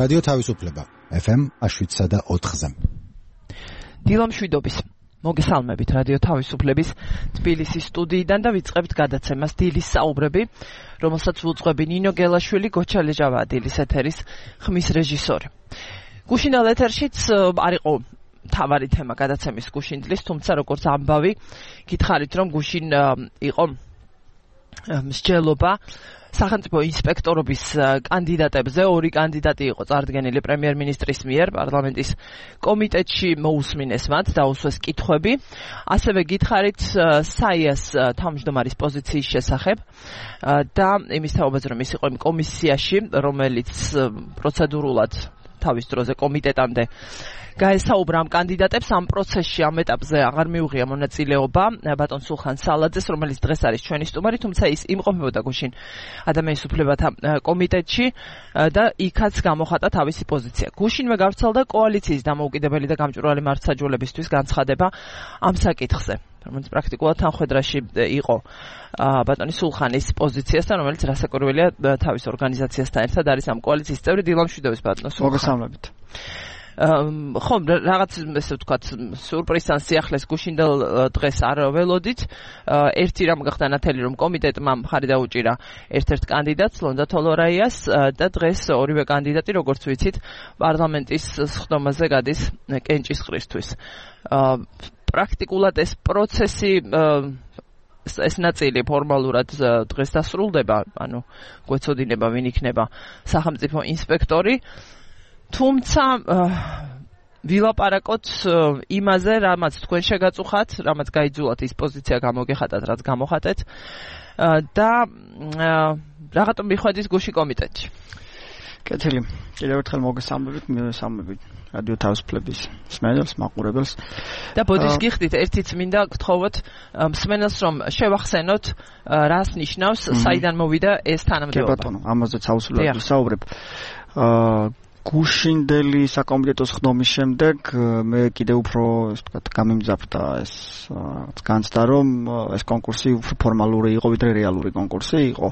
რადიო თავისუფლება FM 7.4-ზე. დილამშვიდობის მოგესალმებით რადიო თავისუფლების თბილისის სტუდიიდან და ვიწყებთ გადაცემას დილის საუბრები, რომელსაც უძღვები ნინო გელაშვილი, გოჩა ლეჟავა დილის ეთერის ხმის რეჟისორი. გუშინდელ ეთერშიც არ იყო თავარი თემა გადაცემის გუშინდლის, თუმცა როგორც ამბავი გითხარით, რომ გუშინ იყო მსჯელობა სახელმწიფო ინსპექტორობის კანდიდატებზე. ორი კანდიდატი იყო წარდგენილი პრემიერ-მინისტრის მიერ პარლამენტის კომიტეტში, მოусმინეს მათ, დაუსვეს კითხვები. ასევე გითხარით საიას თავმჯდომარის პოზიციის შესახებ და იმის თაობაზე, რომ ის იყო იმ კომისიაში, რომელიც პროცედურულად თავის დროზე კომიტეტამდე გაესაუბრა ამ კანდიდატებს. ამ პროცესში, ამ ეტაპზე აღარ მიუღია მონაწილეობა ბატონ სულხან სალაძეს, რომელიც დღეს არის ჩვენი სტუმარი, თუმცა ის იმყოფებოდა გუშინ ადამიანის უფლებათა კომიტეტში და იქაც გამოხატა თავისი პოზიცია. გუშინვე გავრცელდა კოალიციის დამოუკიდებელი და გამჭვირვალე მართლმსაჯულებისთვის განცხადება ამ საკითხზე, რომელიც პრაქტიკულად თანხმედრაში იყო ბატონის სულხანის პოზიციასთან, რომელიც რასაკვირველია თავის ორგანიზაციასთან ერთად არის ამ კოალიციის წევრი. დილამშვიდობის ბატონო სულხან. მოგესალმებით. ხომ რაღაც ესე ვთქვათ სურპრიზთან სიახლეს გუშინდელ დღეს არ ველოდით. ერთი რამ გახდა ნათელი, რომ კომიტეტმა მხარი დაუჭირა ერთ-ერთ კანდიდატს, ლონდა თოლორაიას, და დღეს ორივე კანდიდატი, როგორც ვიცით, პარლამენტის სხდომაზე გადის კენჭისყრისთვის. პრაქტიკულად ეს პროცესი ეს ნაწილი ფორმალურად დღეს დასრულდება, ანუ გვეცოდინება ვინ იქნება სახელმწიფო ინსპექტორი. თუმცა ვილაპარაკოთ იმაზე, რამაც თქვენ შეგაწუხათ, რამაც გაიძულათ ის პოზიცია გამოგეხატათ, რაც გამოხატეთ და რაღაცა მიხვედით გუში კომიტეტში. კეთილი. კიდევ ერთხელ მოგესალმებით, მივესალმებით რადიო თავისუფლების მსმენელს, მაყურებელს. და ბოდის გიხდით, ერთიც მინდა გთხოვოთ მსმენელს, რომ შევახსენოთ, რას ნიშნავს, საიდან მოვიდა ეს თანამდებობა. კი ბატონო, ამაზეც აუცილებლად ვისაუბრებ. გუშინდელი საკომიტეტო სხდომის შემდეგ მე კიდევ უფრო ესე ვთქვათ გამიმძაფრდა ეს განცდა, რომ ეს კონკურსი უფრო ფორმალური იყო, ვიდრე რეალური კონკურსი იყო.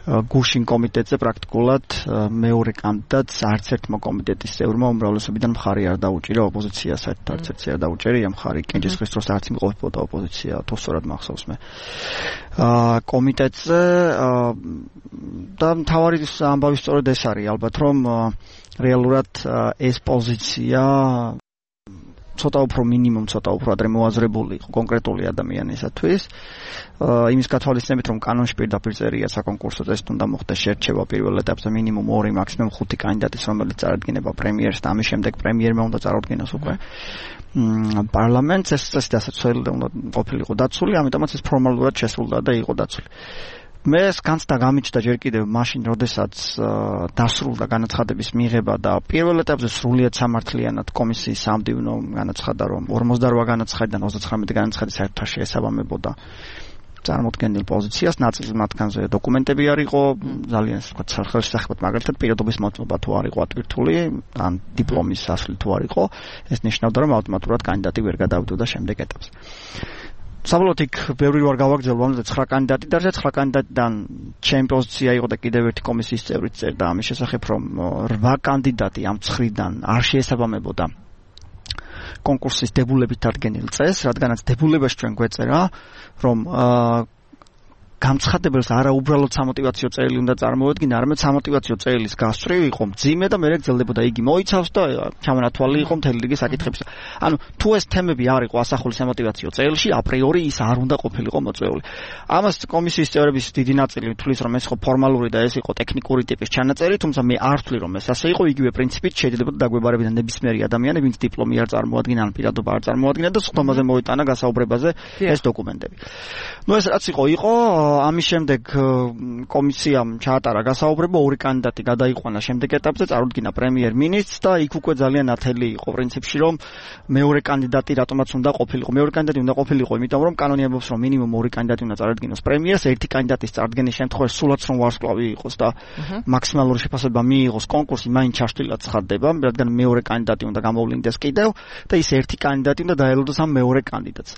გუშინ კომიტეტზე პრაქტიკულად მეორე კანდიდატს არც ერთმა კომიტეტის წევრმა უმრავლესობიდან მხარი არ დაუჭირა ოპოზიციას, არც ერთს არ დაუჭერია მხარი. კენჭისყრის დროს არც იმყოფებოდა ოპოზიცია, თუ სწორად მახსოვს მე. კომიტეტზე და მთავარი ამბავი სწორედ ეს არის, ალბათ რომ რეალურად ეს პოზიცია ცოტა უფრო მინიმუმ, ცოტა უფრო ადრე მოაზრებული იყო კონკრეტული ადამიანისათვის. იმის გათვალისწინებით, რომ კანონში პირდაპირ წერია საკონკურსო წესით უნდა მოხდეს შერჩევა პირველ ეტაპზე მინიმუმ 2, მაქსიმუმ 5 კანდიდატის, რომელიც წარადგინება პრემიერს და ამის შემდეგ პრემიერმა უნდა წარუდგინოს უკვე პარლამენტს. ეს წესი დასაცველი უნდა ყოფილიყო დაცული, ამიტომაც ეს ფორმალურად შესრულდა და იყო დაცული. მე ეს განცდა გამიჩნდა ჯერ კიდევ მაშინ, როდესაც დასრულდა განაცხადების მიღება და პირველ ეტაპზე სრულიად სამართლიანად კომისიის სამდივნო განაცხადა, რომ 48 განაცხადიდან 39 განაცხადი საერთოდ შეესაბამებოდა წარმოქმნილ პოზიციას, ნაწილ მათგანზე დოკუმენტები არ იყო, ძალიან ასე ვთქვათ, ხელშესახებად, მაგალითად პირადობის მოტყობა თუ არ იყო ატვირთული, ან დიპლომის ასლი თუ არ იყო, ეს ნიშნავდა, რომ ავტომატურად კანდიდატი ვერ გადავდოდა შემდეგ ეტაპზე. საბოლოოდ იქ ბევრი ვარ გავაგრძელო, ამაზე 9 კანდიდატი და 9 კანდიდატიდან ჩემი პოზიცია იყო და კიდევ ერთი კომისიის წევრიც წერდა ამის შესახებ, რომ 8 კანდიდატი ამ 9-დან არ შეესაბამებოდა კონკურსის დებულებით დადგენილ წესს, რადგანაც დებულებაში ჩვენ გვეწერა, რომ გამცხადებელს არა უბრალოდ სამოტივაციო წერილი უნდა წარმოედგინა, არამედ სამოტივაციო წერილის გასწვრივ იყო მძიმე და მერე გრძელდებოდა, იგი მოიცავს და ჩამონათვალი იყო მთელი რიგი საკითხებისა. ანუ თუ ეს თემები არ იყო ასახული სამოტივაციო წერილში, აპრიორი ის არ უნდა ყოფილიყო მოწვეული. ამას კომისიის წევრების დიდი ნაწილი თვლის, რომ ეს იყო ფორმალური და ეს იყო ტექნიკური ტიპის ჩანაწერი, თუმცა მე არ ვთვლი, რომ ეს ასე იყო, იგივე პრინციპით შეიძლება დაგვებარებინა ნებისმიერი ადამიანი, ვინც დიპლომი არ წარმოადგენდა, ან პირადობა არ წარმოადგენდა და სხდომაზე მოიტანა გასაუბრებაზე ეს დოკუმენტები. ნუ ეს რაც იყო, ამის შემდეგ კომისიამ ჩაატარა გასაუბრება, 2 კანდიდატი გადაიყვანა შემდეგ ეტაპზე, წარუდგინა პრემიერ-მინისტრს და იქ უკვე ძალიან ნათელი იყო პრინციპში, რომ მეორე კანდიდატი რატომაც უნდა ყოფილიყო. მეორე კანდიდატი უნდა ყოფილიყო, იმიტომ რომ კანონი ამბობს, რომ მინიმუმ 2 კანდიდატი უნდა წარადგინოს პრემიერს, ერთი კანდიდატის წარდგენის შემთხვევაში სულაც რომ ვარსკვლავი იყოს და მაქსიმალური შეფასება მიიღოს კონკურსი, მაინც ჩაშლილად ცხადდება, რადგან მეორე კანდიდატი უნდა გამოვლინდეს კიდევ და ის ერთი კანდიდატი უნდა დაელოდოს ამ მეორე კანდიდატს.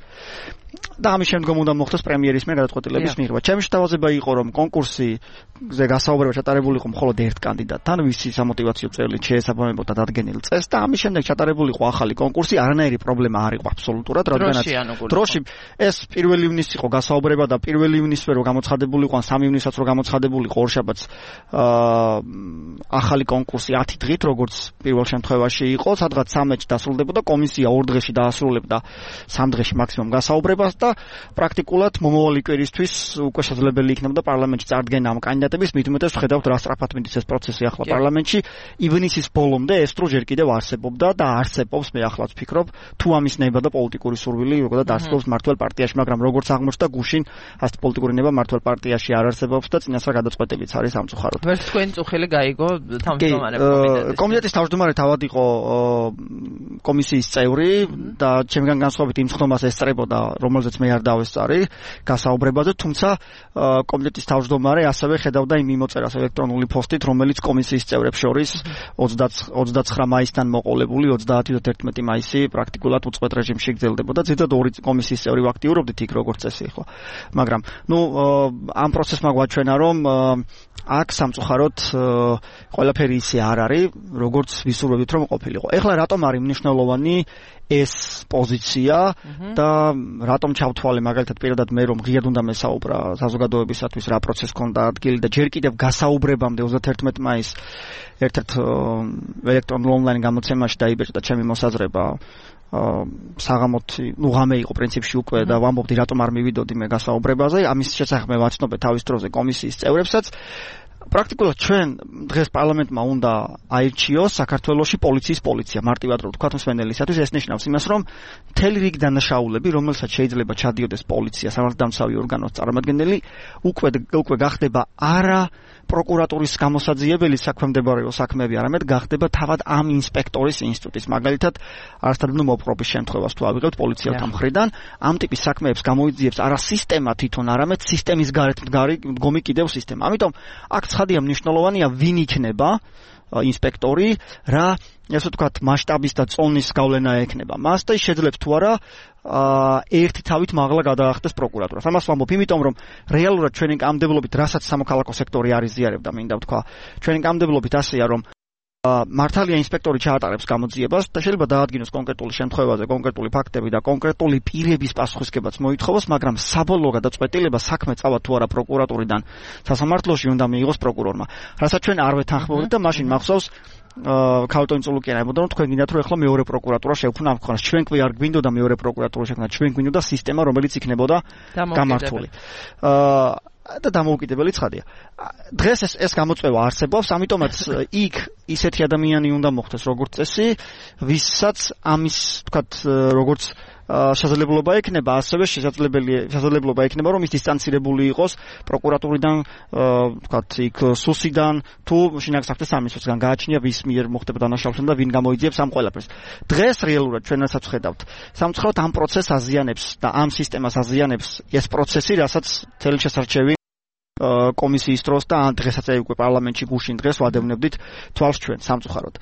და ამის შემდგომ უნდა მოხდეს პრემიერის მიერ გადაწყვეტილების მიღება. ჩემი შეთავაზება იყო, რომ კონკურსზე გასაუბრება ჩატარებული იყო მხოლოდ ერთ კანდიდატთან, ვისი სამოტივაციო წელი შეესაბამებოდა დადგენილ წესს და ამის შემდეგ ჩატარებული იყო ახალი კონკურსი, არანაირი პრობლემა არ იყო აბსოლუტურად, რადგანაც დროში ეს 1 ივნისს იყო გასაუბრება და 1 ივნისზე რო გამოცხადებული იყო, ან 3 ივნისაც რო გამოცხადებული იყო ორშაბათს ახალი კონკურსი 10 დღით, როგორც პირველ შემთხვევაში იყო, სადღაც 13-ში დასრულდებოდა, კომისია 2 დღეში დაასრულებდა 3 დღეში მაქსიმუმ გასაუბრებას და პრაქტიკულად მომავალი კვირისთვის უკვე შესაძლებელი იქნებოდა პარლამენტში წარდგენა ამ კანდიდატების, მით უმეტეს ვხედავთ რა სწრაფად მიდის ეს პროცესი ახლა პარლამენტში. ივნისის ბოლომდე ეს დრო ჯერ კიდევ არსებობდა და არსებობს, მე ახლაც ვფიქრობ, თუ ამის ნება და პოლიტიკური სურვილი როგორ დაარსებობს მართლ პარტიაში, მაგრამ როგორც აღმოჩნდა გუშინ ასეთ პოლიტიკური ნება მართლ პარტიაში არ არსებობს და წინასწარ გადაწყვეტილიც არის სამწუხაროდ. ვერც თქვენ წუხილი გაიგო თავმჯდომარე კომიტეტის. კომიტეტის თავმჯდომარე თავად იყო კომისიის წევრი და ჩემგან განსხვავებით იმ ხდომას ესწრებოდა, რომელზეც მე არ დავესწარი გასაუბრებაზე, თუმცა კომიტეტის თავმჯდომარე ასევე ხედავდა იმ მიმოწერას ელექტრონული პოსტით, რომელიც კომისიის წევრებს შორის 29 მაისთან მოყოლებული 30-11 მაისი პრაქტიკულად უწყვეტ რეჟიმში გრძელდებოდა. ზედად 2 კომისიის წევრი ვაქტიურობდით იქ როგორც წესი იყო. მაგრამ ამ პროცესმა გვაჩვენა, რომ აქ სამწუხაროდ ყველაფერი ისე არ არის, როგორც ვისურვებთ რომ ყოფილიყო. ეხლა რატომ არის მნიშვნელოვანი ეს პოზიცია და რატომ ჩავთვალე მაგალითად პირადად მე რომ ღიად უნდა მესაუბრა საზოგადოებისათვის რა პროცესი ქონდა ადგილი და ჯერ კიდევ გასაუბრებამდე 31 მაისს ერთ-ერთ ელექტრონულ ონლაინ გამოცემაში დაიბეჭდა ჩემი მოსაზრება საღამოთი, ღამე იყო პრინციპში უკვე და ვამბობდი რატომ არ მივიდოდი მე გასაუბრებაზე, ამის შესახებ მე ვაცნობე თავის დროზე კომისიის წევრებსაც. პრაქტიკულად ჩვენ დღეს პარლამენტმა უნდა აირჩიოს საქართველოში პოლიცია, მარტივად რო ვთქვათ მსმენელისათვის, ეს ნიშნავს იმას, რომ მთელი რიგი დანაშაულები, რომელსაც შეიძლება ჩადიოდეს პოლიცია, სამართალდამცავი ორგანოს წარმომადგენელი, უკვე გახდება არა პროკურატურის გამოსაძიებელი საქმემდებარეო საქმეები, არამედ გახდება თავად ამ ინსპექტორის ინსტიტუტის. მაგალითად, არასდროს მოპყრობის შემთხვევას თუ ავიღებთ პოლიციელთა მხრიდან, ამ ტიპის საქმეებს გამოიძიებს არა სისტემა თვითონ, არამედ სისტემის გარეთ მდგომი კიდევ სისტემა. ამიტომ აქ ცხადია მნიშვნელოვანია ვინ იქნება ინსპექტორი, რა ასე ვთქვათ, მასშტაბის და წონის გავლენა ექნება მას და შეძლებს თუ არა ერთი თავით მაღლა გადაახდეს პროკურატურას. ამას ვამბობ, იმიტომ რომ რეალურად ჩვენი კამდებლობით, რასაც სამოქალაქო სექტორი არის ზიარებდა, მინდა ვთქვა, ჩვენი კამდებლობით ასეა, რომ მართალია ინსპექტორი ჩაატარებს გამოძიებას და შეიძლება დაადგინოს კონკრეტული შემთხვევაზე კონკრეტული ფაქტები და კონკრეტული პირების პასუხისგებაც მოითხოვოს, მაგრამ საბოლოო გადაწყვეტილება საქმე წავა თუ არა პროკურატურიდან სასამართლოში უნდა მიიღოს პროკურორმა. რასაც ჩვენ არ ვეთანხმობთ და მაშინ მახსოვს ქალტონი წულუკიანა ებოდა, რომ თქვენ გინდათ რომ ახლა მეორე პროკურატურა შევქმნა ამ ქვეყანაში. ჩვენ ყვი არ გვინდოდა მეორე პროკურატურა შექმნა, ჩვენ გვინდოდა სისტემა, რომელიც იქნებოდა გამართული. და დამოუკიდებელი ცხადია. დღეს ეს გამოწვევა არსებობს, ამიტომაც იქ ისეთი ადამიანი უნდა მოხდეს როგორც წესი, ვისაც ამის, თქვათ, როგორც შესაძლებლობა ექნება, ასევე შესაძლებლობა ექნება, რომ ის დისტანცირებული იყოს პროკურატურიდან, თქვათ, იქ სუსიდან, თუ შინაგან საქმეთა სამინისტროსგან გააჩნია ვის მიერ მოხდება დანაშაულება და ვინ გამოიძიებს ამ ყველაფერს. დღეს რეალურად ჩვენ რასაც ვხედავთ, სამწუხაროდ ამ პროცესს აზიანებს და ამ სისტემას აზიანებს ეს პროცესი, რასაც თელშესარჩევი კომისიის დროს და დღესაც უკვე პარლამენტში გუშინ დღეს ვადევნებდით თვალს ჩვენ სამწუხაროდ.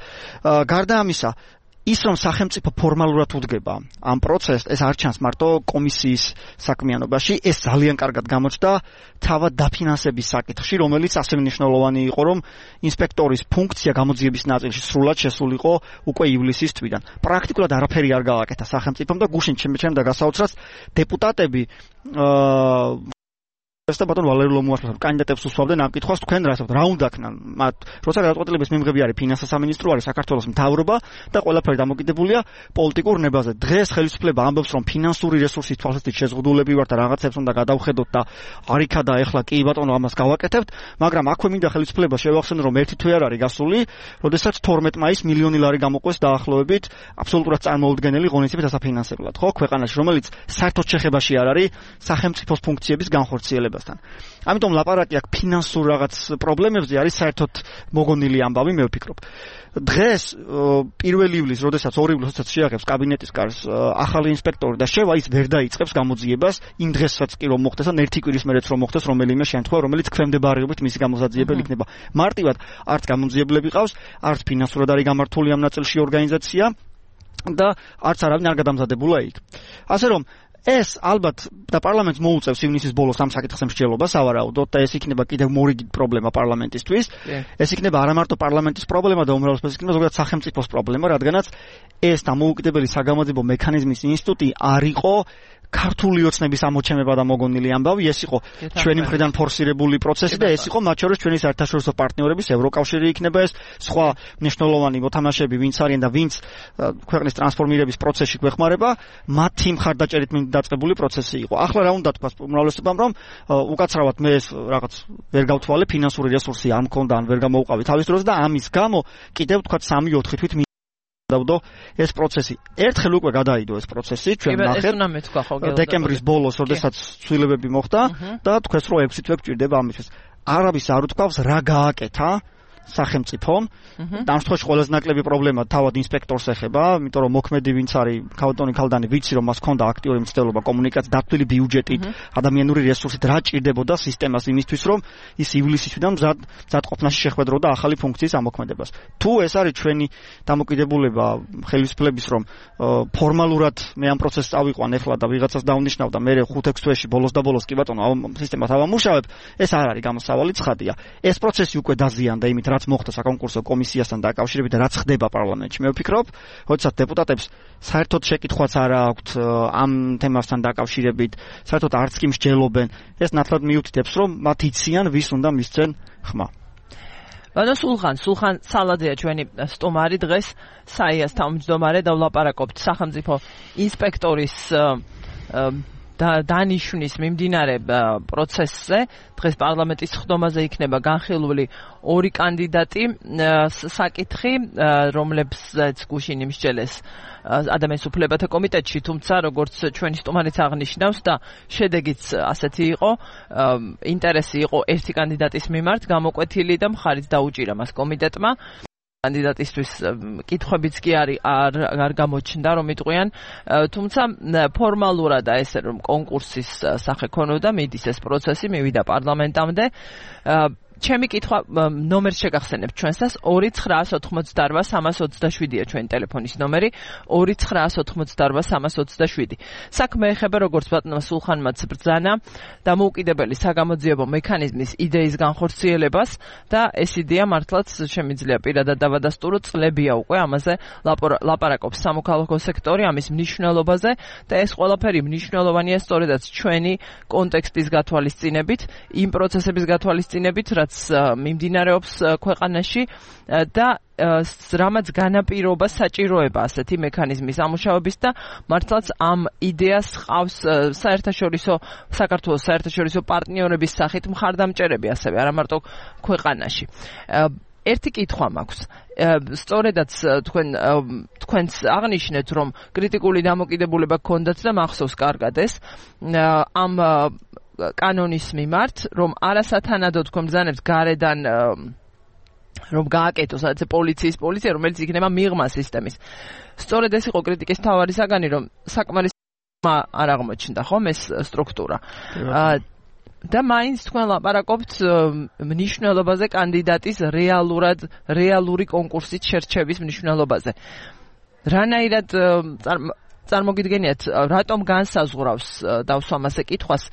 გარდა ამისა, ის რომ სახელმწიფო ფორმალურად უდგება ამ პროცესს, ეს არ ჩანს მარტო კომისიის საქმიანობაში, ეს ძალიან კარგად გამოჩნდა თავად დაფინანსების საკითხში, რომელიც ასე მნიშვნელოვანი იყო, რომ ინსპექტორის ფუნქცია გამოძიების ნაწილში სრულად შესულიყო უკვე ივლისის თვიდან. პრაქტიკულად არაფერი არ გააკეთა სახელმწიფომ და გუშინ ჩემდა გასაოცრად დეპუტატები და ბატონ ვალერი ლომუაშვილს კანდიდატებს უსვამდნენ ამ კითხვას, თქვენ რა უნდა ქნან მათ, როცა გადაწყვეტილების მიმღები არის ფინანსთა სამინისტრო, არის საქართველოს მთავრობა და ყველაფერი დამოკიდებულია პოლიტიკურ ნებაზე. დღეს ხელისუფლება ამბობს, რომ ფინანსური რესურსის თვალსაჩინო შეზღუდულები ვართ და რაღაცებს უნდა გადავხედოთ და არიქა და ეხლა კი ბატონო ამას გავაკეთებთ, მაგრამ აქვე მინდა ხელისუფლებას შევახსენო, რომ ერთი თვე არ არის გასული, როდესაც 12 მაისს მილიონი ლარი გამოყვეს დაახლოებით აბსოლუტურად წარმოუდგენელი ღონისძიებით ასაფინანსებლად, ხო, ქვეყანაში, რომელიც საერთოდ შეხებაში არ არის სახელმწიფოს ფუნქციების განხორციელებასთან. ამიტომ ლაპარაკი აქ ფინანსურ რაღაც პრობლემებზე არის საერთოდ მოგონილი ამბავი, მე ვფიქრობ. დღეს 1 ივლისს, როდესაც 2 ივლისს შეახებს კაბინეტის კარს ახალი ინსპექტორი და შევა ის ვერ დაიწყებს გამოძიებას, იმ დღესაც კი რომ მოხდეს, ან ერთი კვირის მერეც რომ მოხდეს რომელიმე შემთხვევა, რომელიც ქვემდებარეობით მისი გამოსაძიებელი იქნება. მარტივად არც გამოძიებლები ყავს, არც ფინანსურად არის გამართული ამ ნაწილში ორგანიზაცია და არც არავინ არ გადამზადებულა იქ. ასე რომ ეს ალბათ და პარლამენტს მოუწევს ივნისის ბოლოს ამ საკითხზე მსჯელობა სავარაუდოდ და ეს იქნება კიდევ მორიგი პრობლემა პარლამენტისთვის. ეს იქნება არა მარტო პარლამენტის პრობლემა და უმრავლესობის იქნება ზოგადად სახელმწიფოს პრობლემა, რადგანაც ეს დამოუკიდებელი საგამოძიებო მექანიზმის ინსტიტუტი არ იყო ქართული ოცნების ამოჩემება და მოგონილი ამბავი, ეს იყო ჩვენი მხრიდან ფორსირებული პროცესი და ეს იყო მათ შორის ჩვენი საერთაშორისო პარტნიორების ევროკავშირი იქნება ეს სხვა მნიშვნელოვანი მოთამაშეები ვინც არიან და ვინც ქვეყნის ტრანსფორმირების პროცესში გვეხმარება, მათი მხარდაჭერით დაწყებული პროცესი იყო. ახლა რა უნდა თქვას უმრავლესობამ, რომ უკაცრავად მე ეს რაღაც ვერ გავთვალე, ფინანსური რესურსი არ მქონდა, ან ვერ გამოვყავი თავის დროს და ამის გამო კიდევ თქვა 3-4 თვით დავდო ეს პროცესი. ერთხელ უკვე გადაიდო ეს პროცესი, ჩვენ ნახეთ დეკემბრის ბოლოს, როდესაც ცვლილებები მოხდა და თქვეს რომ 6 თვე გჭირდება ამისთვის. არავის არ უთქვავს რა გააკეთა სახელმწიფომ. ამ შემთხვევაში ყველაზე ნაკლები პრობლემა თავად ინსპექტორს ეხება, იმიტომ რომ მოქმედი ვინც არის ქავტონი ქალდანი ვიცი რომ მას ჰქონდა აქტიური მცდელობა კომუნიკაცია, დათვლილი ბიუჯეტით, ადამიანური რესურსით რა ჭირდებოდა სისტემას იმისთვის რომ ის ივლისისიდან მზადყოფნაში შეხვედროდა ახალი ფუნქციის ამოქმედებას. თუ ეს არის ჩვენი დამოკიდებულება ხელისუფლების რომ ფორმალურად მე ამ პროცესს წავიყვან ეხლა და ვიღაცას დავნიშნავ და მე 5-6 თვეში ბოლოს და ბოლოს კი ბატონო სისტემას ავამუშავებ, ეს არ არის გამოსავალი ცხადია. ეს პროცესი უკვე დაზიანდა იმით რაც მოხდა საკონკურსო კომისიასთან დაკავშირებით და რაც ხდება პარლამენტში. მე ვფიქრობ, როდესაც დეპუტატებს საერთოდ შეკითხვაც არ აქვთ ამ თემასთან დაკავშირებით, საერთოდ არც კი მსჯელობენ, ეს ნათლად მიუთითებს, რომ მათ იციან, ვის უნდა მისცენ ხმა. ანუ სულხან სალაძეა ჩვენი სტუმარი დღეს, საიას თავმჯდომარე და ვლაპარაკობთ სახელმწიფო ინსპექტორის დანიშნის მიმდინარე პროცესზე. დღეს პარლამენტის ხდომაზე იქნება განხილული 2 კანდიდატი საკითხი, რომლებსაც გუშინ იმსჯელეს ადამიანის უფლებათა კომიტეტში, თუმცა როგორც ჩვენი სტუმარიც აღნიშნავს და შედეგიც ასეთი იყო, ინტერესი იყო ერთი კანდიდატის მიმართ გამოკვეთილი და მხარიც დაუჭირა მას კომიტეტმა. კანდიდატისთვის კითხვებიც კი არ გამოჩნდა რომ იტყვიან, თუმცა ფორმალურად ეს რომ კონკურსის სახე ქონოდა, მიდის ეს პროცესი, მივიდა პარლამენტამდე. ჩემი კითხვა ნომერს შეგახსენებთ ჩვენსას 2988327-ია ჩვენი ტელეფონის ნომერი 2988327. საქმე ეხება როგორც ბატონმა სულხანმაც ბრძანა დამოუკიდებელი საგამოძიებო მექანიზმის იდეის განხორციელებას და ეს იდეა მართლაც შემიძლია პირადად დავადასტურო, წლებია უკვე ამაზე ლაპარაკობს სამოქალაქო სექტორი, ამის მნიშვნელობაზე და ეს ყველაფერი მნიშვნელოვანია სწორედაც ჩვენი კონტექსტის გათვალისწინებით, იმ პროცესების გათვალისწინებით, მიმდინარეობს ქვეყანაში და რამაც განაპირობა საჭიროება ასეთი მექანიზმის ამუშავების და მართლაც ამ იდეას ყავს საქართველოს საერთაშორისო პარტნიორების სახით მხარდამჭერები ასევე არა მარტო ქვეყანაში. ერთი კითხვა მაქვს. სწორედაც თქვენს აღნიშნეთ, რომ კრიტიკული დამოკიდებულება გქონდათ და მახსოვს კარგად ეს ამ კანონის მიმართ, რომ არასათანადო თქვენ ბრძანებთ გარედან რომ გააკეთოს სადაც პოლიცია, რომელიც იქნება მიღმა სისტემის. სწორედ ეს იყო კრიტიკის მთავარი საგანი, რომ საკმარის არ აღმოჩნდა ხომ ეს სტრუქტურა. და მაინც თქვენ ლაპარაკობთ მნიშვნელობაზე კანდიდატის რეალური კონკურსით შერჩევის მნიშვნელობაზე. რანაირად წარმოგიდგენიათ, რატომ განსაზღვრავს დავსვამასე კითხვას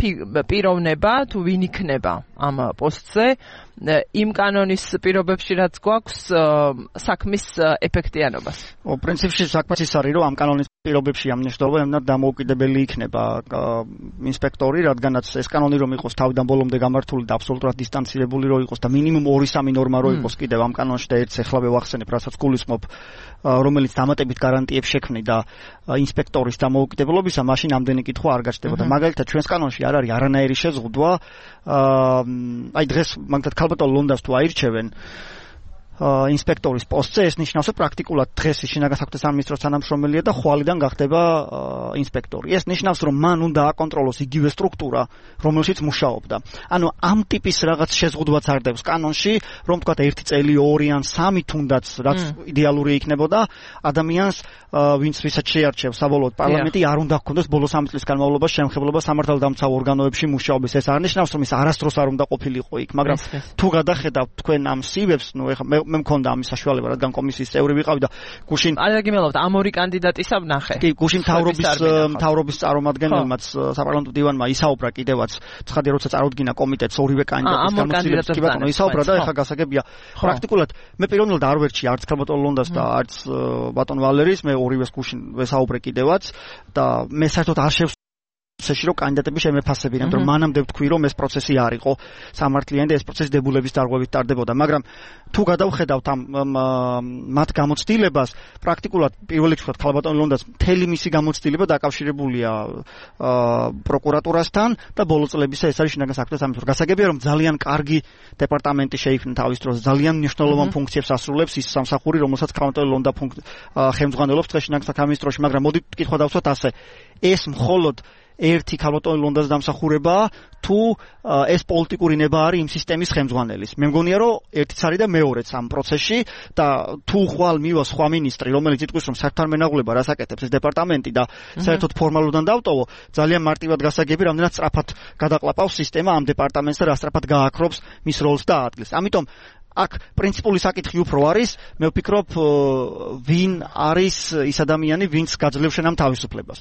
პიროვნება თუ ვინ იქნება ამ პოსტზე იმ კანონის პირობებში, რაც გვაქვს საქმის ეფექტიანობას. პრინციპში საქმე ის არის, რომ ამ კანონის პირობებში ამ მნიშვნელობამ დამოუკიდებელი იქნება ინსპექტორი, რადგანაც ეს კანონი რომ იყოს თავიდან ბოლომდე გამართული და აბსოლუტურად დისტანცირებული რომ იყოს და მინიმუმ 2-3 ნორმა რომ იყოს კიდევ ამ კანონში და ერთს ეხლა ვახსენებ, რასაც გულისხმობ, რომელიც დამატებით გარანტიებს შექმნიდა ინსპექტორის დამოუკიდებლობისა, მაშინ ამდენი კითხვა არ გაჩნდებოდა. მაგალითად, ჩვენს კანონში არ არის არანაირი შეზღუდვა, აი დღეს მაგალითად ქალბატონ ლონდას თუ აირჩევენ ინსპექტორის პოსტზე, ეს ნიშნავს, რომ პრაქტიკულად დღეს შინაგან საქმეთა სამინისტროს თანამშრომელია და ხვალიდან გახდება ინსპექტორი. ეს ნიშნავს, რომ მან უნდა აკონტროლოს იგივე სტრუქტურა, რომელშიც მუშაობდა. ანუ ამ ტიპის რაღაც შეზღუდვაც არ დევს კანონში, რომ თქვა 1 წელი, 2 ან 3 თუნდაც, რაც იდეალური იქნებოდა, ადამიანს ვისაც შეარჩევს საბოლოოდ პარლამენტი, არ უნდა ჰქონდეს ბოლო 3 წლის განმავლობაში შემხებლობა სამართალდამცავ ორგანოებში მუშაობის. ეს არ ნიშნავს, რომ ის არასდროს არ უნდა ყოფილიყო იქ, მაგრამ თუ გადახედავთ თქვენ ამ სივებს, ნუ ეხლა მე მქონდა ამის საშუალება, რადგან კომისიის წევრი ვიყავი და გუშინ არაგიმელობთ ამ ორი კანდიდატისა ვნახე. კი, გუშინ მთავრობის წარმომადგენელმაც საპარლამენტო დივანმა ისაუბრა კიდევაც, ცხადია როცა წარუდგინა კომიტეტს ორივე კანდიდატის გამოცხადებას კი ბატონო ისაუბრა და ეხა გასაგებია. პრაქტიკულად მე პირველად არ ვერჩი არც ქალბატონ ლონდას და არც ბატონ ვალერის, მე ორივეს გუშინ ვესაუბრე კიდევაც და მე საერთოდ არ შეში რომ კანდიდატები შემეფასებინან, რომ მანამდე ვთქვი რომ ეს პროცესი არ იყო სამართლიანი და ეს პროცესი დებულების დარღვევით ტარდებოდა, მაგრამ თუ გადავხედავთ ამ მათ გამოცდილებას, პრაქტიკულად პირველ რიგში ვთქვათ ქალბატონ ლონდას მთელი მისი გამოცდილება დაკავშირებულია პროკურატურასთან და ბოლო წლებისა ეს არის შინაგან საქმეთა სამინისტროს. გასაგებია რომ ძალიან კარგი დეპარტამენტი შეიქმნა თავის დროს, ძალიან მნიშვნელოვან ფუნქციებს ასრულებს ის სამსახური, რომელსაც ქალბატონ ლონდა ხელმძღვანელობს დღეს შინაგან საქმეთა სამინისტროში, მაგრამ მოდით კითხვა დავსვათ ასე. ეს მხოლოდ ერთი ქალბატონ ლონდას დამსახურებაა თუ ეს პოლიტიკური ნება არის იმ სისტემის ხელმძღვანელის. მე მგონია რომ ერთიც არის და მეორეც ამ პროცესში და თუ ხვალ მივა სხვა მინისტრი, რომელიც იტყვის რომ საერთოდ მენაღვლება რას აკეთებს ეს დეპარტამენტი და საერთოდ ფორმალურიდან დავტოვო, ძალიან მარტივად გასაგები, რამდენად სწრაფად გადაყლაპავს სისტემა ამ დეპარტამენტს და რა სწრაფად გააქრობს მის როლს და ადგილს. ამიტომ აქ პრინციპული საკითხი უფრო არის, მე ვფიქრობ ვინ არის ის ადამიანი, ვინც გაძლევს შენ ამ თავისუფლებას.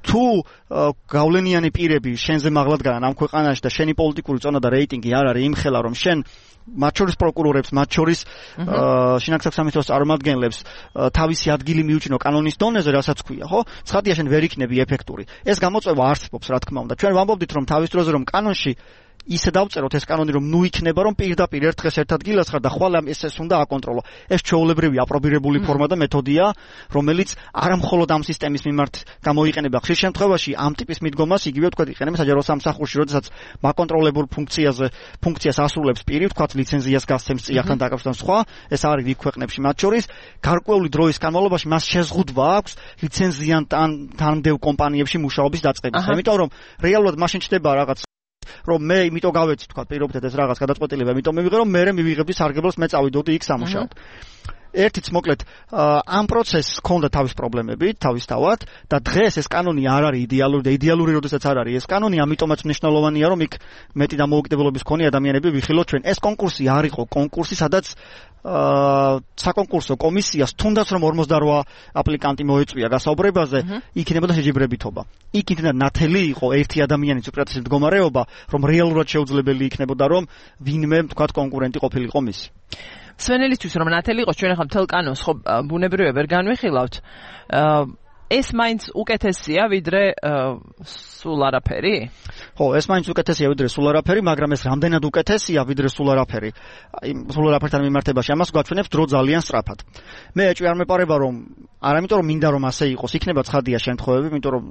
თუ გავლენიანი პირები შენზე მაღლად გაიან ამ ქვეყანაში და შენი პოლიტიკური წონა და რეიტინგი არ არის იმხელა, რომ შენ მათ შორის პროკურორებს, მათ შორის შინაგან საქმეთა სამინისტროს წარმომადგენლებს თავისი ადგილი მიუჩინო კანონის დონეზე, რასაც ქვია, ხო? ცხადია შენ ვერ იქნები ეფექტური. ეს გამოწვევა არსებობს, რა თქმა უნდა. ჩვენ ვამბობდით, რომ თავის დროზე რომ კანონში ისე დავწეროთ ეს კანონი, რომ ნუ იქნება, რომ პირდაპირ ერთ დღეს ერთ ადგილას ხარ და ხვალ ეს უნდა აკონტროლო. ეს ჩვეულებრივი აპრობირებული ფორმა და მეთოდია, რომელიც არა მხოლოდ ამ სისტემის მიმართ გამოიყენება. ხშირ შემთხვევაში ამ ტიპის მიდგომას იგივე თქვა იყენებს საჯარო სამსახურში, როდესაც მაკონტროლებულ ფუნქციას ასრულებს პირი, თქვა ლიცენზიას გასცემს წიაღთან დაკავშირებთან სხვა, ეს არის იქ ქვეყნებში მათ შორის, გარკვეული დროის განმავლობაში მას შეზღუდვა აქვს ლიცენზიან თანმდევ კომპანიებში მუშაობის დაწყების. იმიტომ რომ რეალურად მაშინ ჩდება რაღაც რომ მე იმიტომ გავეცი თქვა პირობითად ეს რაღაც გადაწყვეტილება, იმიტომ მივიღე რომ მე მივიღებდი სარგებლოს, მე წავიდოდი იქ სამუშაოდ. ერთიც მოკლედ ამ პროცესს ჰქონდა თავის პრობლემები, თავისთავად და დღეს ეს კანონი არ არის იდეალური და იდეალური როდესაც არ არის ეს კანონი, ამიტომაც მნიშვნელოვანია რომ იქ მეტი დამოუკიდებლობის მქონე ადამიანები ვიხილოთ ჩვენ. ეს კონკურსი არ იყო კონკურსი, სადაც საკონკურსო კომისიას თუნდაც რომ 48 აპლიკანტი მოეწვია გასაუბრებაზე, იქნებოდა შეჯიბრებითობა. იქ იქნა ნათელი იყო ერთი ადამიანის უპირატესი მდგომარეობა, რომ რეალურად შეუძლებელი იქნებოდა რომ ვინმე თქვა კონკურენტი ყოფილიყო მისი. სვენელისთვის რომ ნათელი იყოს, ჩვენ ახლა მთელ კანონს ხო ბუნებრივია ვერ განვიხილავთ. ეს მაინც უკეთესია ვიდრე სულ არაფერი? ხო, ეს მაინც უკეთესია ვიდრე სულ არაფერი, მაგრამ ეს რამდენად უკეთესია ვიდრე სულ არაფერი? სულ არაფერთან მიმართებაში ამას გვაჩვენებს დრო ძალიან სწრაფად. მე ეჭვი არ მეპარება რომ არა იმიტომ რომ მინდა რომ ასე იყოს, იქნება ცხადია შემთხვევები, იმიტომ რომ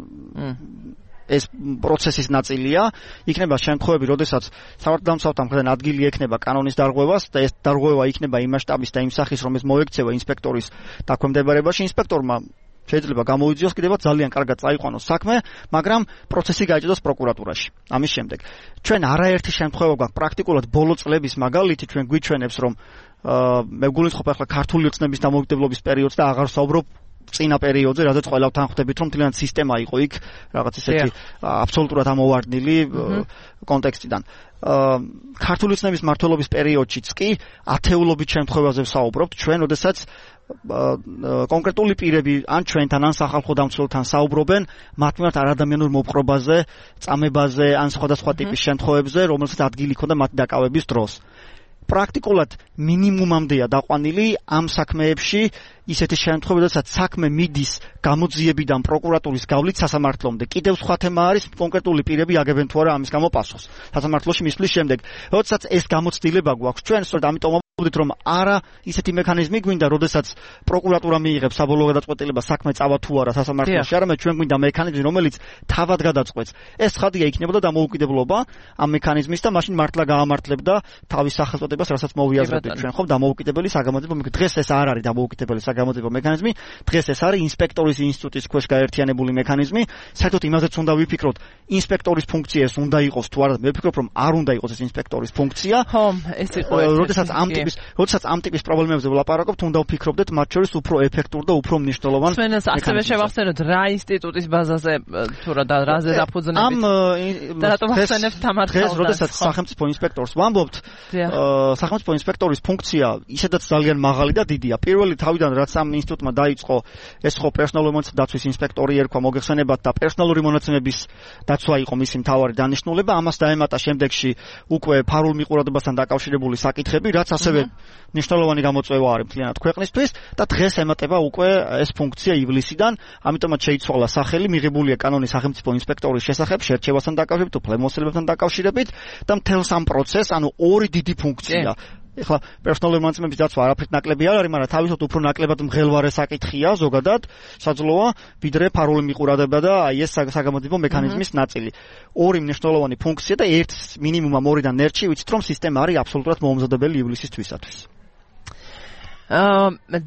ეს პროცესის ნაწილია, იქნება შემთხვევები, როდესაც სამართალდამცავთა მხრიდან ადგილი ექნება კანონის დარღვევას და ეს დარღვევა იქნება იმ მასშტაბის და იმ სახის, რომ ეს მოექცევა ინსპექტორის დაქვემდებარებაში, ინსპექტორმა შეიძლება გამოიძიოს კიდევაც ძალიან კარგად წაიყვანოს საქმე, მაგრამ პროცესი გაეჭედოს პროკურატურაში. ამის შემდეგ ჩვენ არაერთი შემთხვევა გვაქვს პრაქტიკულად ბოლო წლების მაგალითი, ჩვენ გვიჩვენებს რომ მე გულისხმობ ახლა ქართული ოცნების დამოუკიდებლობის პერიოდს და აღარ ვსაუბრობ წინა პერიოდზე, რადგან ყველავთან ხვდებით რომ მთლიანად სისტემა იყო იქ რაღაც ისეთი აბსოლუტურად ამოვარდნილი კონტექსტიდან. ქართული ოცნების მმართველობის პერიოდშიც კი ათეულობით შემთხვევაზე ვსაუბრობთ ჩვენ, როდესაც კონკრეტული პირები ან ჩვენთან ან სახალხო დამცველთან საუბრობენ მათ მიმართ არადამიანურ მოპყრობაზე, წამებაზე ან სხვადასხვა ტიპის შემთხვევებზე, რომელსაც ადგილი ჰქონდა მათი დაკავების დროს. პრაქტიკულად მინიმუმამდეა დაყვანილი ამ საქმეებში ისეთი შემთხვევები, როდესაც საქმე მიდის გამოძიებიდან პროკურატურის გავლით სასამართლომდე. კიდევ სხვა თემა არის კონკრეტული პირები აგებენ თუ არა ამის გამო პასუხს. სასამართლოში მისვლის შემდეგ, როდესაც ეს გამოცდილება გვაქვს ჩვენ, სწორედ ამიტომ ვამბობთ რომ არა ისეთი მექანიზმი გვინდა, როდესაც პროკურატურა მიიღებს საბოლოო გადაწყვეტილებას საქმე წავა თუ არა სასამართლოში, არამედ ჩვენ გვინდა მექანიზმი, რომელიც თავად გადაწყვეტს. ეს ცხადია იქნებოდა დამოუკიდებლობა ამ მექანიზმის და მაშინ მართლა გაამართლებდა თავის სახელწოდებას, რასაც მოვიაზრებდით ჩვენ, ხო, დამოუკიდებელი საგამოძიებო მექანიზმი. დღეს ეს არ არის დამოუკიდებელი საგამოძიებო მექანიზმი, დღეს ეს არის ინსპექტორის ინსტიტუტის ქვეშ გაერთიანებული მექანიზმი. საერთოდ იმაზეც უნდა ვიფიქროთ, ინსპექტორის ფუნქცია ეს უნდა იყოს თუ არა, მე ვფიქრობ რომ არ უნდა იყოს ეს ინსპექტორის ფუნქცია. ხო, ეს იყო. როდესაც ამ ტიპის ტიპის, როდესაც ამ ტიპის პრობლემებზე ვლაპარაკობთ, უნდა ვფიქრობდეთ მათ შორის უფრო ეფექტურ და უფრო მნიშვნელოვან. სვენელს ასევე შევახსენოთ რა ინსტიტუტის ბაზაზე თუ რა და რაზე დაფუძნებით. და რატომ ახსენებთ თამარ დღეს როდესაც სახელმწიფო ინსპექტორს ვამბობთ, სახელმწიფო ინსპექტორის ფუნქცია ისედაც ძალიან მაღალი და დიდია. პირველი თავიდან რაც ამ ინსტიტუტმა დაიწყო, ეს ხო პერსონალური მონაცემების დაცვის ინსპექტორი ერქვა მოგეხსენებათ და პერსონალური მონაცემების დაცვა იყო მისი მთავარი დანიშნულება. ამას დაემატა შემდეგში უკვე ფარულ მიყურადობასთან დაკავშირებული საკითხები, რაც ასევე მნიშვნელოვანი გამოწვევა არის მთლიანად ქვეყნისთვის და დღეს ემატება უკვე ეს ფუნქცია ივლისიდან, ამიტომაც შეიცვალა სახელი, მიღებულია კანონი სახელმწიფო ინსპექტორის შესახებ შერჩევასთან დაკავშირებით, უფლებამოსილებებთან დაკავშირებით და მთელს ამ პროცესს, ანუ ორი დიდი ფუნქცია. ეხლა პერსონალური მონაცემების დაცვა არაფრით ნაკლები არ არის, მაგრამ თავისთავად უფრო ნაკლებად მღელვარე საკითხია ზოგადად, საძლოა, ვიდრე ფარული მიყურადება და აი ეს საგამოძიებო მექანიზმის ნაწილი. ორი მნიშვნელოვანი ფუნქცია და ერთ მინიმუმ ორიდან ერთში ვიცით რომ სისტემა არის აბსოლუტურად მოუმზადებელი ივლისისთვისათვის.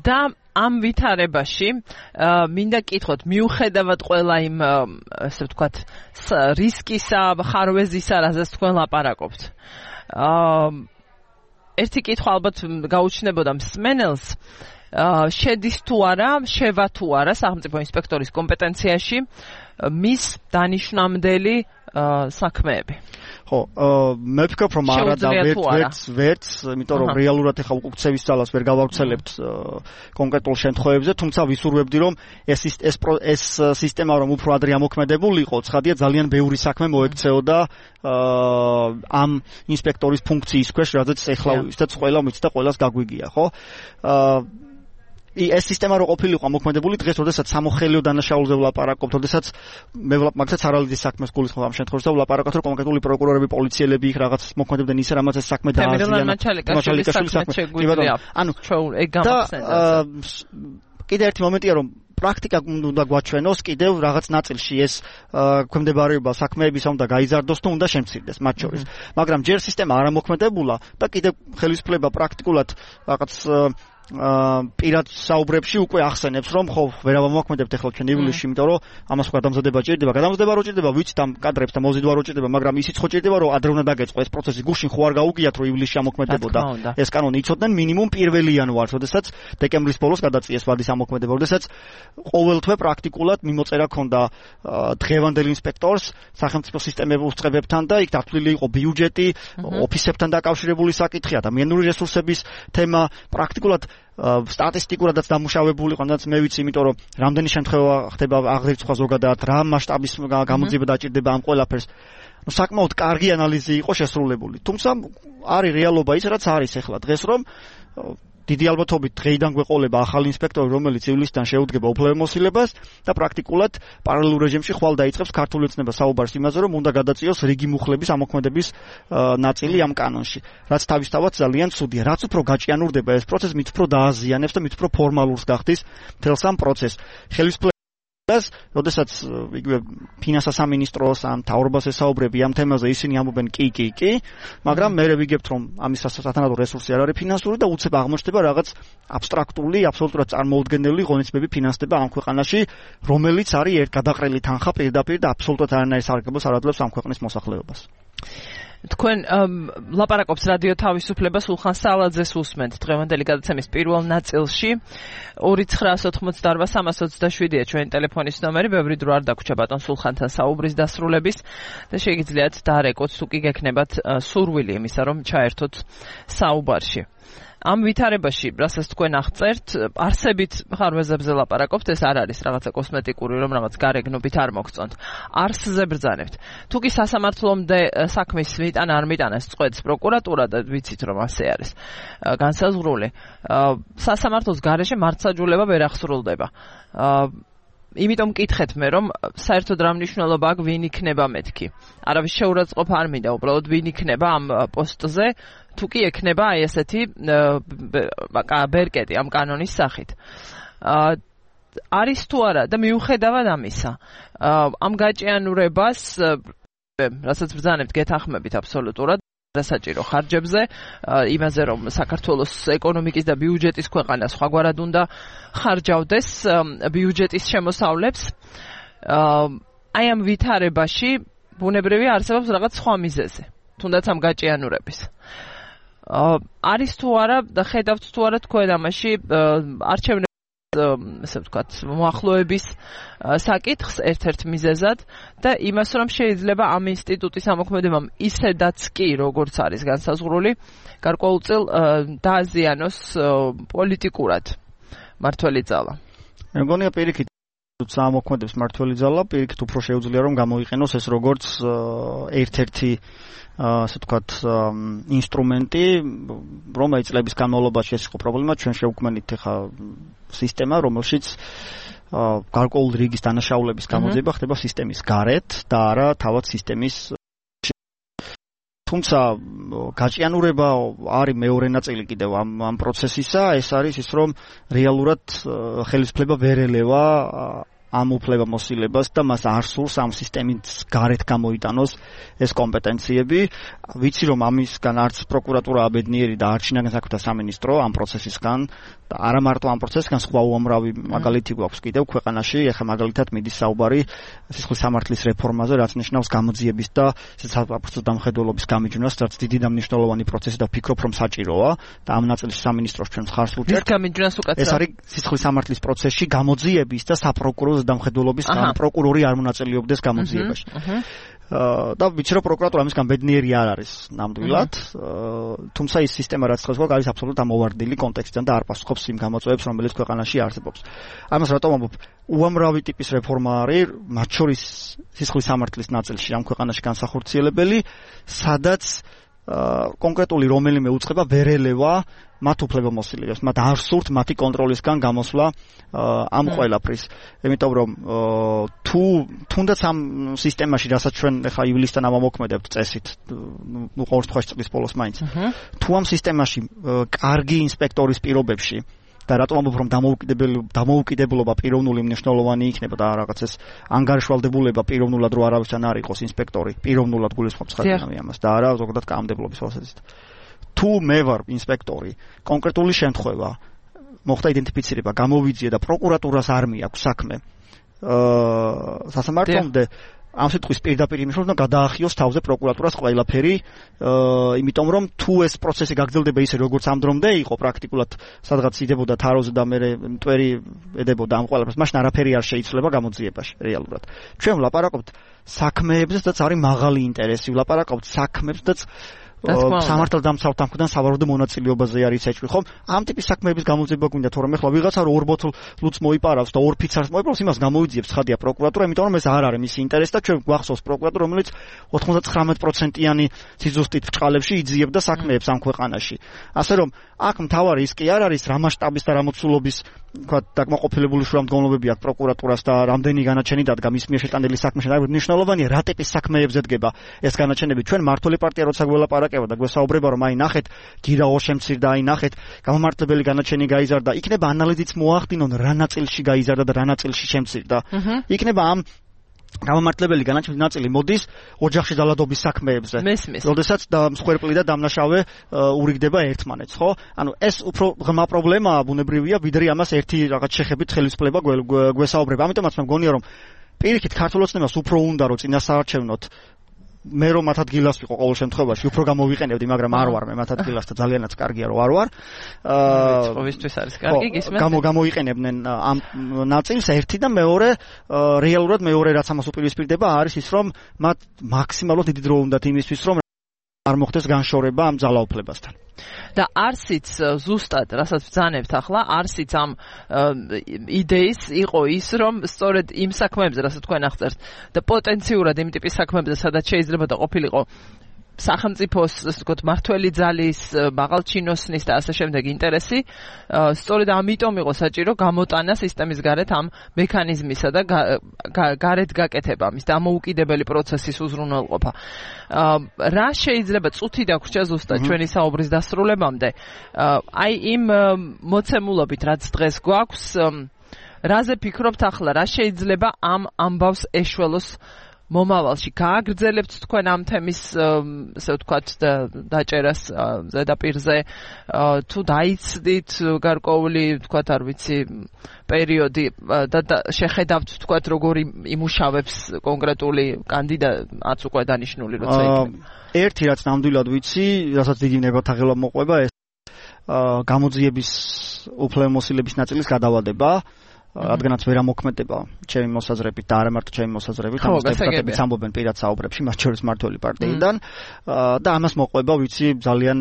და ამ ვითარებაში მინდა გკითხოთ, მიუხედავად ყველა იმ ასე ვთქვათ რისკისა, ხარვეზისა, რაზეც თქვენ ლაპარაკობთ. ერთი კითხვა ალბათ გაუჩნდებოდა მსმენელს, შედის თუ არა, შევა თუ არა სახელმწიფო ინსპექტორის კომპეტენციაში მის დანიშნამდელი საქმეები. ხო, მე ვფიქრობ რომ არა და ვერც, იმიტომ რომ რეალურად ეხა უკუქცევის ძალას ვერ გავავრცელებთ კონკრეტულ შემთხვევებზე, თუმცა ვისურვებდი რომ ეს სისტემა რომ უფრო ადრე ამოქმედებულიყო, ცხადია ძალიან ბევრი საქმე მოექცეოდა ამ ინსპექტორის ფუნქციის ქვეშ, რადგან ეხლა ვისაც ყველა მიც და ყველას გაგვიგია, ხო? ეს სისტემა რო ყოფილიყო ამოქმედებული დღეს, როდესაც სამოხელეო დანაშაულზე ვლაპარაკობთ, როდესაც მე მაგაც არალიდის საქმეს გულისხმობ ამ შემთხვევაში და ვლაპარაკობთ, რომ კონკრეტული პროკურორები, პოლიციელები იქ რაღაც მოქმედებდნენ ისე, რამაც ეს საქმე დააზიანა. ანუ ეგ გამახსენდა. კიდე ერთი მომენტია, რომ პრაქტიკა უნდა გვაჩვენოს კიდევ რაღაც ნაწილში ეს ქვემდებარეობა საქმეებისა უნდა გაიზარდოს თუ უნდა შემცირდეს მათ შორის. მაგრამ ჯერ სისტემა არ ამოქმედებულა და კიდევ ხელისუფლება პრაქტიკულად რაღაც პირად საუბრებში უკვე ახსენებს, რომ ხო ვერ ამოქმედებთ ახლა ჩვენ ივლისში, იმიტომ რომ ამას გადამზადება ჭირდება. გადამზადება რო ჭირდება, ვიცით ამ კადრებს და მოზიდვა რო ჭირდება, მაგრამ ისიც ხო ჭირდება, რომ ადრე უნდა დაგეწყო ეს პროცესი. გუშინ ხო არ გაუგიათ, რომ ივლისში ამოქმედებოდა. ეს კანონი იცოდნენ მინიმუმ 1 იანვარს, როდესაც დეკემბრის ბოლოს გადაწიეს ვადის ამოქმედება, როდესაც ყოველთვე პრაქტიკულად მიმოწერა ქონდა დღევანდელ ინსპექტორს სახელმწიფო სისტემების უწყებებთან და იქ დათვლილი იყო ბიუჯეტი, ოფისებთან დაკავშირებული საკითხი, ადამიანური რესურსების თემა, პრაქტიკულად სტატისტიკურადაც დამუშავებული იყო, რაც მე ვიცი, იმიტომ რომ რამდენი შემთხვევა ხდება აღრიცხვა ზოგადად, რა მასშტაბის გამოძიება დაჭირდება ამ ყველაფერს. ნუ საკმაოდ კარგი ანალიზი იყო შესრულებული. თუმცა არის რეალობა ის, რაც არის ახლა დღეს, რომ დიდი ალბათობით დღეიდან გვეყოლება ახალი ინსპექტორი, რომელიც ივლისიდან შეუდგება უფლებამოსილებას და პრაქტიკულად პარალელურ რეჟიმში ხვალ დაიწყებს ქართული ოცნება საუბარს იმაზე, რომ უნდა გადაწიოს რიგი მუხლების ამოქმედების ნაწილი ამ კანონში. რაც თავისთავად ძალიან ცუდია. რაც უფრო გაჭიანურდება ეს პროცესი, მით უფრო დააზიანებს და მით უფრო ფორმალურს გახდის მთელს ამ პროცესს. როდესაც იგივე ფინანსთა სამინისტროს ან მთავრობას ესაუბრები ამ თემაზე, ისინი ამბობენ კი, მაგრამ მე ვიგებთ რომ ამის სათანადო რესურსი არ არის ფინანსური და უცებ აღმოჩნდება რაღაც აბსტრაქტული, აბსოლუტურად წარმოუდგენელი ღონისძიებები ფინანსდება ამ ქვეყანაში, რომელიც არის გადაყრილი თანხა პირდაპირ და აბსოლუტურად არანაირ სარგებლოს არ აძლევს ამ ქვეყნის მოსახლეობას. თქვენ ლაპარაკობს რადიო თავისუფლება, სულხან სალაძეს უსმენთ დღევანდელი გადაცემის პირველ ნაწილში. 2988327-ია ჩვენი ტელეფონის ნომერი, ბევრი დრო არ დაგვრჩა ბატონ სულხანთან საუბრის დასრულების და შეგიძლიათ დაარეკოთ თუ კი გექნებათ სურვილი იმისა, რომ ჩაერთოთ საუბარში. ამ ვითარებაში, რასაც თქვენ აღწერთ, არსებით ხარვეზებზე ლაპარაკობთ, ეს არ არის რაღაცა კოსმეტიკური, რომ რაღაც გარეგნობით არ მოგწონთ. არსზე ბრძანებთ. თუ კი სასამართლომდე საქმის მიტანა არ მიტანას წყვეტს პროკურატურა და ვიცით რომ ასე არის განსაზღვრული, სასამართლოს გარეშე მართლმსაჯულება ვერ აღსრულდება. იმიტომ მკითხეთ მე, რომ საერთოდ რა მნიშვნელობა აქვს ვინ იქნება მეთქი. არავის შეურაცხყოფა არ მინდა, უბრალოდ ვინ იქნება ამ პოსტზე, თუ კი ექნება აი ესეთი ბერკეტი ამ კანონის სახით. არის თუ არა და მიუხედავად ამისა, ამ გაჭიანურებას, რასაც ბრძანებთ, გეთანხმებით აბსოლუტურად საჭირო ხარჯებზე, იმაზე რომ საქართველოს ეკონომიკის და ბიუჯეტის ქვეყანა სხვაგვარად უნდა ხარჯავდეს ბიუჯეტის შემოსავლებს. აი ამ ვითარებაში ბუნებრივია არსებობს რაღაც სხვა მიზეზი, თუნდაც ამ გაჭიანურების. არის თუ არა და ხედავთ თუ არა თქვენ ამაში არჩევნების ესე ვთქვათ მოახლოების საკითხს ერთ-ერთ მიზეზად და იმას რომ შეიძლება ამ ინსტიტუტის ამოქმედებამ ისედაც კი როგორც არის განსაზღვრული გარკვეულწილ დააზიანოს პოლიტიკურად მართველი ძალა. მე მგონია პირიქით ამოქმედებს მართველი ძალა პირიქით უფრო შეუძლია რომ გამოიყენოს ეს როგორც ერთ-ერთი ასე ვთქვათ ინსტრუმენტი რომელიც წლების განმავლობაში ეს იყო პრობლემა ჩვენ შევქმნით ახლა სისტემა რომელშიც გარკვეული რიგის დანაშაულების გამოძიება ხდება სისტემის გარეთ და არა თავად სისტემის თუმცა გაჭიანურება არის მეორე ნაწილი კიდევ ამ პროცესისა ეს არის ის რომ რეალურად ხელისუფლება ვერ ელევა ამ უფლებამოსილებას და მას არ სურს ამ სისტემის გარეთ გამოიტანოს ეს კომპეტენციები. ვიცი რომ ამისგან არც პროკურატურა აბედნიერი და არც შინაგან საქმეთა სამინისტრო ამ პროცესისგან და არა მარტო ამ პროცესისგან სხვა უამრავი მაგალითი გვაქვს კიდევ ქვეყანაში. ეხლა მაგალითად მიდის საუბარი სისხლის სამართლის რეფორმაზე, რაც ნიშნავს გამოძიების და საპროცესო დამხედველობის გამიჯვნას, რაც დიდი და მნიშვნელოვანი პროცესი და ვფიქრობ რომ საჭიროა და ამ ნაწილში სამინისტროს ჩვენ ხარს უჭერთ. ეს გამიჯვნას უკაცრავ. ეს არის სისხლის სამართლის პროცესში გამოძიების და საპროკურორო დამხედველობის პროკურორი არ მონაწილეობდეს გამოძიებაში. და ვიცი რომ პროკურატურა ამისგან ბედნიერი არ არის ნამდვილად, თუმცა ის სისტემა რაც ხელს გვაქვს არის აბსოლუტურად ამოვარდილი კონტექსტიდან და არ პასუხობს იმ გამოწვევებს რომელიც ქვეყანაში არსებობს. ამას რატომ ამბობ? უამრავი ტიპის რეფორმა არის, მათ შორის სისხლის სამართლის ნაწილში ამ ქვეყანაში განსახორციელებელი, სადაც კონკრეტული რომელიმე უწყება ვერ ელევა მათ უფლებამოსილებას, მათ არ სურთ მათი კონტროლისგან გამოსვლა ამ ყველაფრის. იმიტომ რომ თუნდაც ამ სისტემაში, რასაც ჩვენ ახლა ივლისთან ამოქმედებთ წესით, ნუ ყოველ შემთხვევაში წლის ბოლოს მაინც. თუ ამ სისტემაში კარგი ინსპექტორის პირობებში და რატომ ამბობ რომ დამოუკიდებლობა პიროვნული მნიშვნელოვანი იქნება და რაღაც ეს ანგარიშვალდებულება პიროვნულად რო არავისთან არ იყოს ინსპექტორი, პიროვნულად გულისხმობს ხარჯამი ამას და არა ზოგადად კანონმდებლობის თვალსაზრისით. თუ მე ვარ ინსპექტორი, კონკრეტული შემთხვევა მოხდა იდენტიფიცირება, გამოვიძიე და პროკურატურას არ მიაქვს საქმე სასამართლომდე ამ სიტყვის პირდაპირ იმის რომ გადაახიოს თავზე პროკურატურას ყველაფერი, იმიტომ რომ თუ ეს პროცესი გაგრძელდება ისე როგორც ამ დრომდე იყო პრაქტიკულად სადღაც იდებოდა თაროზე და მე მტვერი ედებოდა ამ ყველაფერს, მაშინ არაფერი არ შეიცვლება გამოძიებაში რეალურად. ჩვენ ვლაპარაკობთ საქმეებზე, სადაც არის მაღალი ინტერესი, ვლაპარაკობთ საქმეებზე, სამართალდამცავ თანხმიდან სავარაუდო მონაწილეობაზე არის ეჭვი, ხომ? ამ ტიპის საქმეების გამოძიება გვინდა, თორემ ახლა ვიღაცა რო 2 ბოთლ ლუც მოიპარავს და 2 ფიცარს მოიპარავს, იმას გამოიძიებს ხადია პროკურატურა, იმიტომ რომ ეს არ არის მისი ინტერესი და ჩვენ გვახსოვს პროკურატურა, რომელიც 99%-იანი სიზუსტით ბრჭყალებში იძიებდა საქმეებს ამ ქვეყანაში. ასე რომ აქ მთავარი ის კი არ არის რა მასშტაბის და რა მოცულობის თქვა დაკმაყოფილებული შრომდგომლობები აქვს პროკურატურას და რამდენი განაჩენი დადგა მის მიერ შეტანილი საქმეში. მნიშვნელოვანია რა ტიპის საქმეებზე დგება ეს განაჩენები. ჩვენ მართული პარტია როცა გველაპარაკება და გვესაუბრება რომ აი ნახეთ გირა ორშემცირდა, აი ნახეთ გამომართლებელი განაჩენი გაიზარდა, იქნება ანალიზიც მოახდინონ რა ნაწილში გაიზარდა და რა ნაწილში შემცირდა. იქნება ამ გამომართლებელი განაჩენის ნაწილი მოდის ოჯახში დალადობის საქმეებზე. როდესაც მსხვერპლი და დამნაშავე ურიგდება ერთმანეთს, ხო? ანუ ეს უფრო ღრმა პრობლემაა ბუნებრივია, ვიდრე ამას ერთი რაღაც შეხებით ხელისუფლება გვესაუბრება. ამიტომაც მე მგონია რომ პირიქით ქართულ ოცნებას უფრო უნდა რომ წინასაარჩევნოთ მე რომ მათ ადგილას ვიყო ყოველ შემთხვევაში უფრო გამოვიყენებდი, მაგრამ არ ვარ მე მათ ადგილას და ძალიანაც კარგია რომ არ ვარ. ყოველთვის არის კარგი გისმენთ. გამოიყენებდნენ ამ ნაწილს ერთი და მეორე რეალურად მეორე რაც ამას უპირისპირდება არის ის რომ მათ მაქსიმალურად დიდი დრო უნდათ იმისთვის რომ არ მოხდეს განშორება ამ ძალაუფლებასთან. და არსიც ზუსტად, რასაც ბრძანებთ ახლა, არსიც ამ იდეის იყო ის, რომ სწორედ იმ საქმეებზე, რასაც თქვენ აღწერთ, და პოტენციურად იმ ტიპის საქმეებზე, სადაც შეიძლება და ყოფილიყო სახელმწიფოს, ასე ვთქვათ, მართველი ძალის, მაღალჩინოსნის და ასე შემდეგ ინტერესი, სწორედ ამიტომ იყო საჭირო გამოტანა სისტემის გარეთ ამ მექანიზმისა და გარეთ გაკეთება, მის დამოუკიდებელი პროცესის უზრუნველყოფა. რა შეიძლება წუთი დაგვრჩა ზუსტად ჩვენი საუბრის დასრულებამდე? აი იმ მოცემულობით, რაც დღეს გვაქვს, რაზე ფიქრობთ ახლა, რა შეიძლება ამ ამბავს ეშველოს მომავალში გააგრძელებთ თქვენ ამ თემის ესე ვთქვათ დაჭერას ზედაპირზე თუ დაიცდით გარკვეული ვთქვათ არ ვიცი პერიოდი და შეხედავთ ვთქვათ როგორი იმუშავებს კონკრეტული კანდიდატს უკვე დანიშნული როცა იქნება ერთი რაც ნამდვილად ვიცი რასაც დიდი ნებათაღელვა მოყვება ეს გამოძიების უფლებამოსილების ნაწილის გადავადება რადგანაც ვერ ამოქმედება ჩემი მოსაზრებით და არა მარტო ჩემი მოსაზრებით, ამას დეპუტატებიც ამბობენ პირად საუბრებში, მათ შორის მმართველი პარტიიდან და ამას მოყვება, ვიცი, ძალიან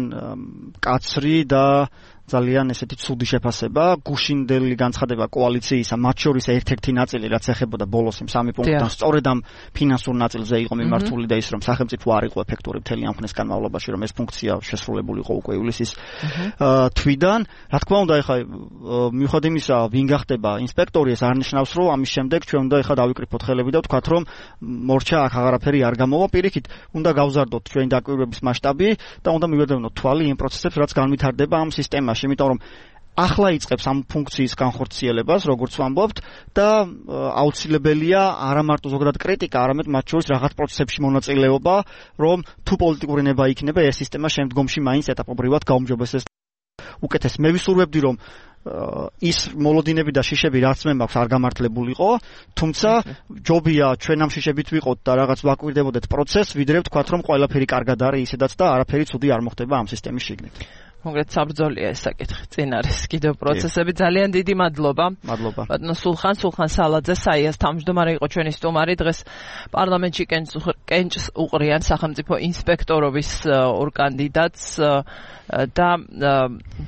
კაცრი და ძალიან ესეთი ცუდი შეფასება, გუშინდელი განცხადება კოალიციისა, მათ შორის ერთ-ერთი ნაწილი, რაც ეხებოდა ბოლოს იმ 3 პუნქტთან, სწორედ ამ ფინანსურ ნაწილზე იყო მიმართული და ის რომ სახელმწიფო არ იყო ეფექტური მთელი ამ ხნის განმავლობაში, რომ ეს ფუნქცია შესრულებული იყო უკვე ივლისის თვიდან. Რა თქმა უნდა, ეხლა მიუხედავად იმისა, ვინ გახდება ინსპექტორი, ეს არნიშნავს, რომ ამის შემდეგ ჩვენ უნდა ეხლა დავიკრიფოთ ხელები და ვთქვათ, რომ მორჩა აქ აღარაფერი არ გამოვა, პირიქით, უნდა გავზარდოთ ჩვენი დაკვირვების მასშტაბი და უნდა მივედევნოთ თვალი იმ პროცესებს, რაც განვითარდება ამ სისტემაში. იმიტომ რომ ახლა იწყებს ამ ფუნქციის განხორციელებას, როგორც ვამბობთ, და აუცილებელია არა მარტო ზოგადად კრიტიკა, არამედ მათ შორის რაღაც პროცესებში მონაწილეობა, რომ თუ პოლიტიკური ნება იქნება, ეს სისტემა შემდგომში მაინც ეტაპობრივად გაუმჯობესდეს. უკეთეს მე ვისურვებდი, რომ ის მოლოდინები და შიშები რაც მე მაქვს არ გამართლებულიყო, თუმცა ჯობია ჩვენ ამ შიშებით ვიყოთ და რაღაც ვაკვირდებოდეთ პროცესს, ვიდრე ვთქვათ, რომ ყველაფერი კარგად არის ისედაც და არაფერი ცუდი არ მოხდება ამ სისტემის შიგნით. კონკრეტ საბრძოლია ეს საკითხი. წინ არის კიდევ პროცესები. ძალიან დიდი მადლობა. მადლობა. ბატონო სულხან სალაძე საიას თავმჯდომარე იყო ჩვენი სტუმარი. დღეს პარლამენტში კენჭს უყრიან სახელმწიფო ინსპექტორობის ორ კანდიდატს და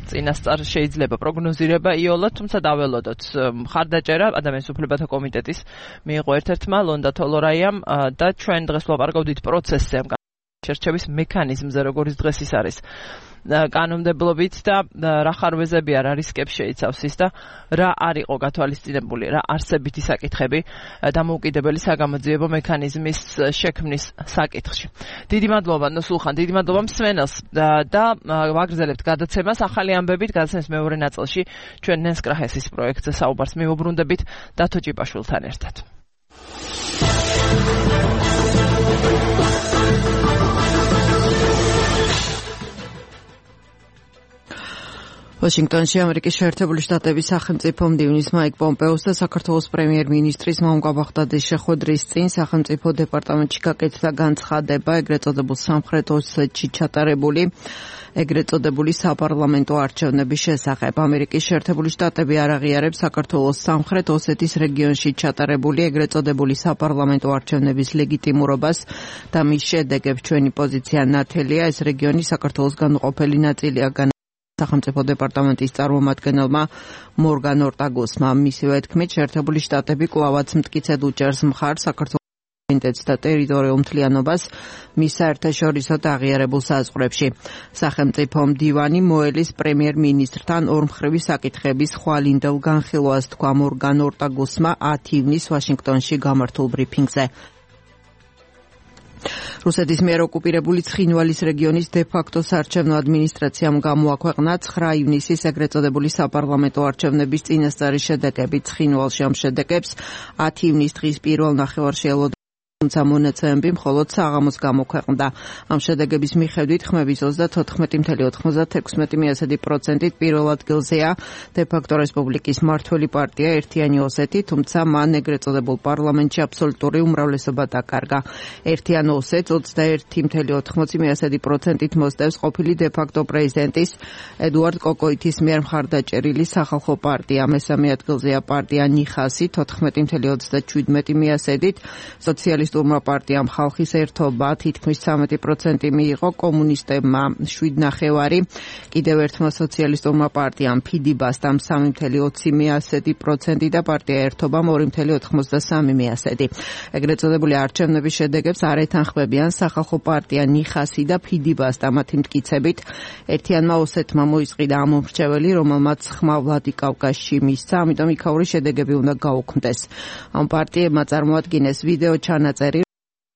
წინასწარ შეიძლება პროგნოზირება იოლად, თუმცა დაველოდოთ. მხარდაჭერა ადამიანის უფლებათა კომიტეტის მიიღო ერთ-ერთმა ლონდა თოლორაიამ და ჩვენ დღეს ვლაპარაკობდით პროცესზე ამ შერჩევის მექანიზმზე, როგორც დღეს ის არის. კანონმდებლობით და რა ხარვეზებია, რა რისკებს შეიცავს ის და რა არ იყო გათვალისწინებული, რა არსებითი საკითხები დამოუკიდებელი საგამოძიებო მექანიზმის შექმნის საკითხში. დიდი მადლობა ნოსულხან, დიდი მადლობა მსმენელს და ვაგრძელებთ გადაცემას ახალი ამბებით, გადაცემის მეორე ნაწილში ჩვენ ნენს კრაჰესის პროექტზე საუბარს მივუბრუნდებით დათო ჭიპაშვილთან ერთად. ვაშინგტონში ამერიკის შეერთებული შტატების სახელმწიფო მდივნის მაიკ პომპეოს და საქართველოს პრემიერ-მინისტრის მომგვა ბაღდადის შეხვედრის წინ სახელმწიფო დეპარტამენტში გაკეთდა განცხადება ეგრეთ წოდებულ სამხრეთ ოსეთში ჩატარებული ეგრეთ წოდებული საპარლამენტო არჩევნების შესახებ. ამერიკის შეერთებული შტატები არ აღიარებს საქართველოს სამხრეთ ოსეთის რეგიონში ჩატარებული ეგრეთ წოდებული საპარლამენტო არჩევნების ლეგიტიმურობას და მის შედეგებს. ჩვენი პოზიცია ნათელია, ეს რეგიონი საქართველოს განუყოფელი ნაწილია. სახელმწიფო დეპარტამენტის წარმომადგენელმა მორგან ორტაგოსმა მისივე თქმით, შეერთებული შტატები კვლავაც მტკიცედ უჭერს მხარს საქართველოს ინტერესს და ტერიტორიულ მთლიანობას მის საერთაშორისო და აღიარებულ საზღვრებში. სახელმწიფო მდივანი მოელის პრემიერ-მინისტრთან ორმხრივი საკითხების ხვალინდელ განხილვას თქვა მორგან ორტაგოსმა 10 ივნისს ვაშინგტონში გამართულ ბრიფინგზე. რუსეთის მიერ ოკუპირებული ცხინვალის რეგიონის დე-ფაქტო საარჩევნო ადმინისტრაციამ გამოაქვეყნა 9 ივნისის ეგრეთ წოდებული საპარლამენტო არჩევნების წინასწარი შედეგები. ცხინვალში ამ შედეგებს 10 ივნისის დღის პირველ ნახევარში ელოდა, თუმცა მონაცემები მხოლოდ საღამოს გამოქვეყნდა. ამ შედეგების მიხედვით ხმების 34.96% პირველ ადგილზეა დე-ფაქტო რესპუბლიკის მმართველი პარტია ერთიანი ოსეთი, თუმცა მან ეგრეთ წოდებულ პარლამენტში აბსოლუტური უმრავლესობა დაკარგა. ერთიან ოსეთს 21.80%-ით მოსდევს ყოფილი დე-ფაქტო პრეზიდენტის ედუარდ კოკოითის მიერ მხარდაჭერილი სახალხო პარტია. მესამე ადგილზეა პარტია ნიხასი 14.37%-ით, სოციალისტურმა პარტიამ ხალხის ერთობა თითქმის 13% მიიღო, კომუნისტებმა 7.9%, კიდევ ერთმა სოციალისტურმა პარტიამ ფიდიბასტამ 3.20% და პარტია ერთობამ 2.93%. ეგრეთ წოდებული არჩევნების შედეგებს არ ეთანხმებიან სახალხო პარტია ნიხასი და ფიდიბასტა მათი მტკიცებით. ერთიანმა ოსეთმა მოისყიდა ამ მომრჩეველი, რომელმაც ხმა ვლადიკავკაზში მისცა, ამიტომ იქაური შედეგები უნდა გაუქმდეს. ამ პარტიებმა წარმოადგინეს ვიდეო ჩანაწერი.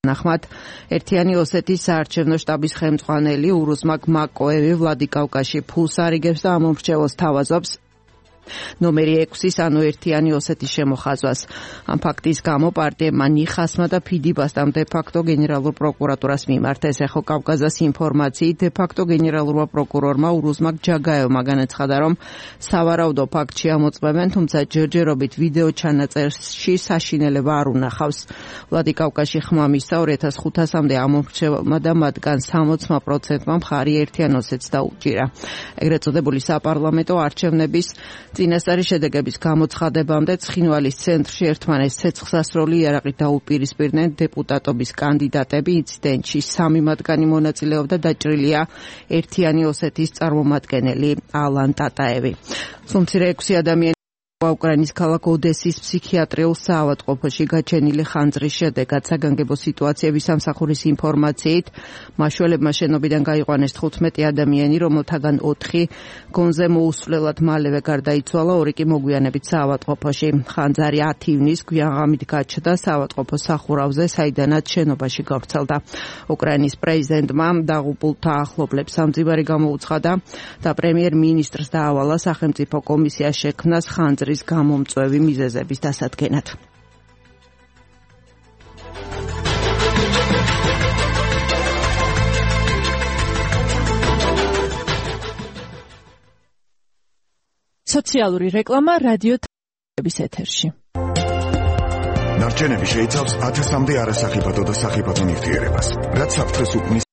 ნახმად, ერთიანი ოსეთის საარჩევნო შტაბის ხელმძღვანელი ურუსმაკ მაკოევი ვლადიკავკაზში ფულს არიგებს და ამ მომრჩეველს თავაზობს. ნომერი 6-ის ანუ ერთიანი ოსეთის შემოხაზვას. ამ ფაქტის გამო პარტიებმა ნიხასმა და ფიდიბასტამ დე-ფაქტო გენერალურ პროკურატურას მიმართეს. ეხო კავკაზას ინფორმაციით დე-ფაქტო გენერალურმა პროკურორმა ურუზმაკ ჯაგაევმა განაცხადა, რომ სავარაუდო ფაქტში ამოწმებენ, თუმცა ჯერჯერობით ვიდეო ჩანაწერში საშინელება არ უნახავს. ვლადიკავკაზში ხმა მისცა 2500-მდე ამორჩევალმა და მათგან 60%-მა მხარი ერთიან ოსეთს დაუჭირა. ეგრეთ წოდებული საპარლამენტო არჩევნების წინასწარი შედეგების გამოცხადებამდე ცხინვალის ცენტრში ერთმანეთს ცეცხლსასროლი იარაღით დაუპირისპირდნენ დეპუტატობის კანდიდატები. ინციდენტში 3 მათგანი მონაწილეობდა, დაჭრილია ერთიანი ოსეთის წარმომადგენელი ალან ტატაევი. სულ მცირე 6 ადამიანი უკრაინის ქალაქ ოდესის ფსიქიატრიულ საავადმყოფოში გაჩენილი ხანძრის შედეგად საგანგებო სიტუაციების სამსახურის ინფორმაციით მაშველებმა შენობიდან გაიყვანეს 15 ადამიანი, რომელთაგან 4 გონზე მოუსვლელად მალევე გარდაიცვალა, 2 კი მოგვიანებით საავადმყოფოში. ხანძარი 10 ივნის გვიანღამით გაჩნდა საავადმყოფოს სახურავზე, საიდანაც შენობაში გავრცელდა. უკრაინის პრეზიდენტმა დაღუპულთა ახლობლებს სამძივარი გამოუცხადა და პრემიერ-მინისტრს დაავალა სახელმწიფო კომისია შექმნას ხანძრის გამომწვევი მიზეზების დასადგენად. სოციალური რეკლამა რადიო თბილისის ეთერში. ნარჩენები შეიცავს 1000-მდე არასახიფათო და სახიფათო ნივთიერებას, რაც საფრთხეს უქმნის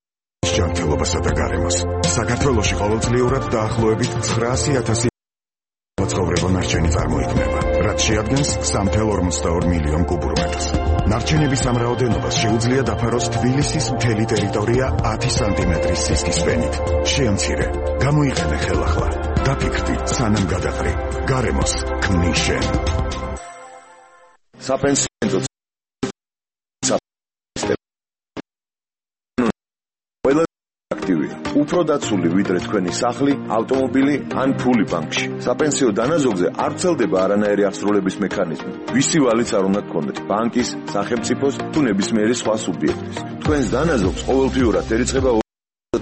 ჯანმრთელობასა და გარემოს. საქართველოში ყოველწლიურად დაახლოებით 900,000 ცხოვრება ნარჩენი წარმოიქმნება, რაც შეადგენს 3,42 მილიონ კუბურ მეტრს. ნარჩენების ამ რაოდენობას შეუძლია დაფაროს თბილისის მთელი ტერიტორია 10 სანტიმეტრის სისქის ფენით. შეამცირე, გამოიყენე ხელახლა, დაფიქრდი სანამ გადაყრი, გარემოს ქმნის შენ. საპენსიო უფრო დაცული ვიდრე თქვენი სახლი, ავტომობილი ან ფული ბანკში. საპენსიო დანაზოგზე არ ვრცელდება არანაირი აღსრულების მექანიზმი. ვისი ვალიც არ უნდა გქონდეთ, ბანკის, სახელმწიფოს თუ ნებისმიერი სხვა სუბიექტის. თქვენს დანაზოგს ყოველთვიურად ერიცხება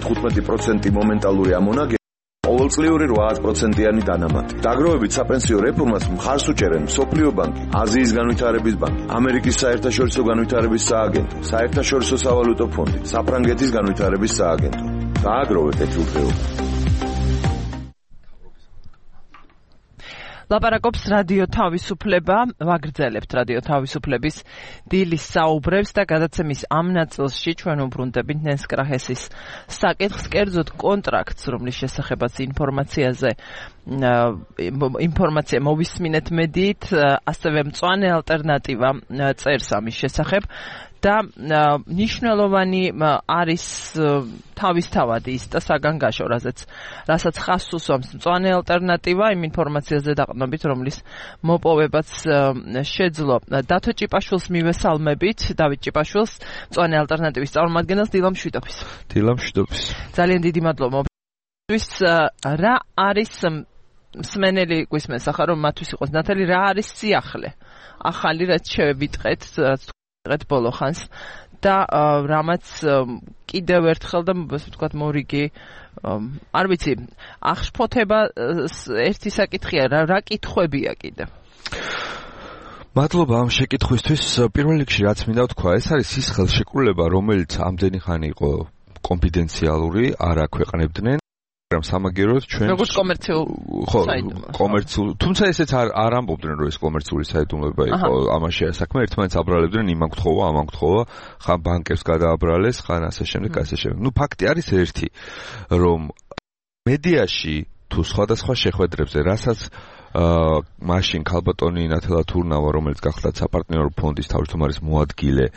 15% მომენტალური ამონაგები, ყოველწლიური 8%-იანი დანამატი. დაგროვებით საპენსიო რეფორმას მხარს უჭერენ მსოფლიო ბანკი, აზიის განვითარების ბანკი, ამერიკის საერთაშორისო განვითარების სააგენტო, საერთაშორისო სავალუტო ფონდი, საფრანგეთის განვითარების სააგენტო. დააგროვეთ ეთილდღეობა. ლაპარაკობს რადიო თავისუფლება, ვაგრძელებთ რადიო თავისუფლების დილის საუბრებს და გადაცემის ამ ნაწილში ჩვენ უბრუნდებით ნენს კრაჰესის საკითხს, კერძოდ კონტრაქტს, რომლის შესახებაც ინფორმაცია მოვისმინეთ მედიით, ასევე მწვანე ალტერნატივა წერს ამის შესახებ. და ნიშნულოვანი არის თავისთავად ის და საგანგაშო, რასაც ხაზს უსვამს მწვანე ალტერნატივა იმ ინფორმაციაზე დაყრდნობით, რომლის მოპოვებაც შეძლო. დათო ჭიპაშვილს მივესალმებით, დავით ჭიპაშვილს, მწვანე ალტერნატივის წარმომადგენელს. დილამშვიდობის. ძალიან დიდი მადლობა. რა არის მსმენელი გვისმენს ახლა, რომ მათთვის იყოს ნათელი, რა არის სიახლე ახალი, რაც შევიტყეთ, რაც ბოლო ხანს და რამაც კიდევ ერთხელ და ასე ვთქვათ მორიგი არ ვიცი აღშფოთება ერთი საკითხია, რა კითხვებია კიდევ. მადლობა ამ შეკითხვისთვის. პირველ რიგში რაც მინდა ვთქვა, ეს არის ის ხელშეკრულება, რომელიც ამდენი ხანი იყო კონფიდენციალური, არ აქვეყნებდნენ. სამაგეროდ ჩვენ როგორც კომერციულ თუმცა ესეც არ ამბობდნენ, რომ ეს კომერციული საიდუმლოება იყო, ამაში საქმე ერთმანეთს აბრალებდნენ, იმან გთხოვა, ამან გთხოვა, ხან ბანკებს გადააბრალეს, ხან ასე შემდეგ. ნუ ფაქტი არის ერთი, რომ მედიაში თუ სხვადასხვა შეხვედრებზე, რასაც მაშინ ქალბატონი ნათელა თურნავა, რომელიც გახლდათ საპარტნიორო ფონდის თავმჯდომარის მოადგილე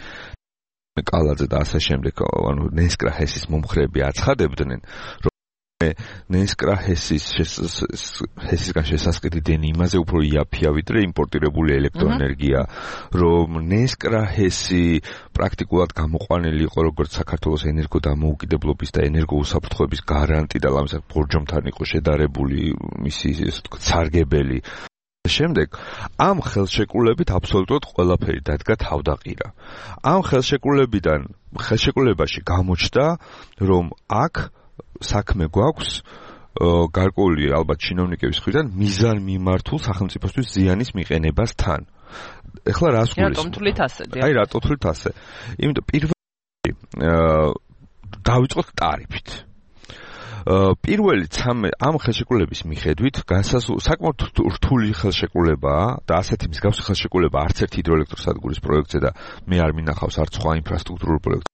კალაძე და ასე შემდეგ, ანუ ნენსკრაჰესის მომხრეები აცხადებდნენ, ნენსკრაჰესისგან შესასყიდი დენი იმაზე უფრო იაფია ვიდრე იმპორტირებული ელექტროენერგია, რომ ნენსკრაჰესი პრაქტიკულად გამოყვანილი იყო როგორც საქართველოს ენერგოდამოუკიდებლობის და ენერგოუსაფრთხოების გარანტი და ამასთან ბორჯომთან იყო შედარებული მისი სარგებელი. შემდეგ ამ ხელშეკრულებით აბსოლუტურად ყველაფერი დადგა თავდაყირა. ამ ხელშეკრულებაში გამოჩნდა, რომ აქ საქმე გვაქვს გარკვეული ალბათ ჩინოვნიკების მხრიდან მიზან მიმართულ სახელმწიფოსთვის ზიანის მიყენებასთან. ეხლა რას გულისხმობ? რატომ თვლით ასე? აი რატო თვლით ასე? იმიტომ პირველი დავიწყოთ ტარიფით. პირველი ამ ხელშეკრულების მიხედვით საკმაოდ რთული ხელშეკრულებაა და ასეთი მსგავსი ხელშეკრულება არც ერთ ჰიდროელექტროსადგურის პროექტზე და მე არ მინახავს არც სხვა ინფრასტრუქტურულ პროექტზე.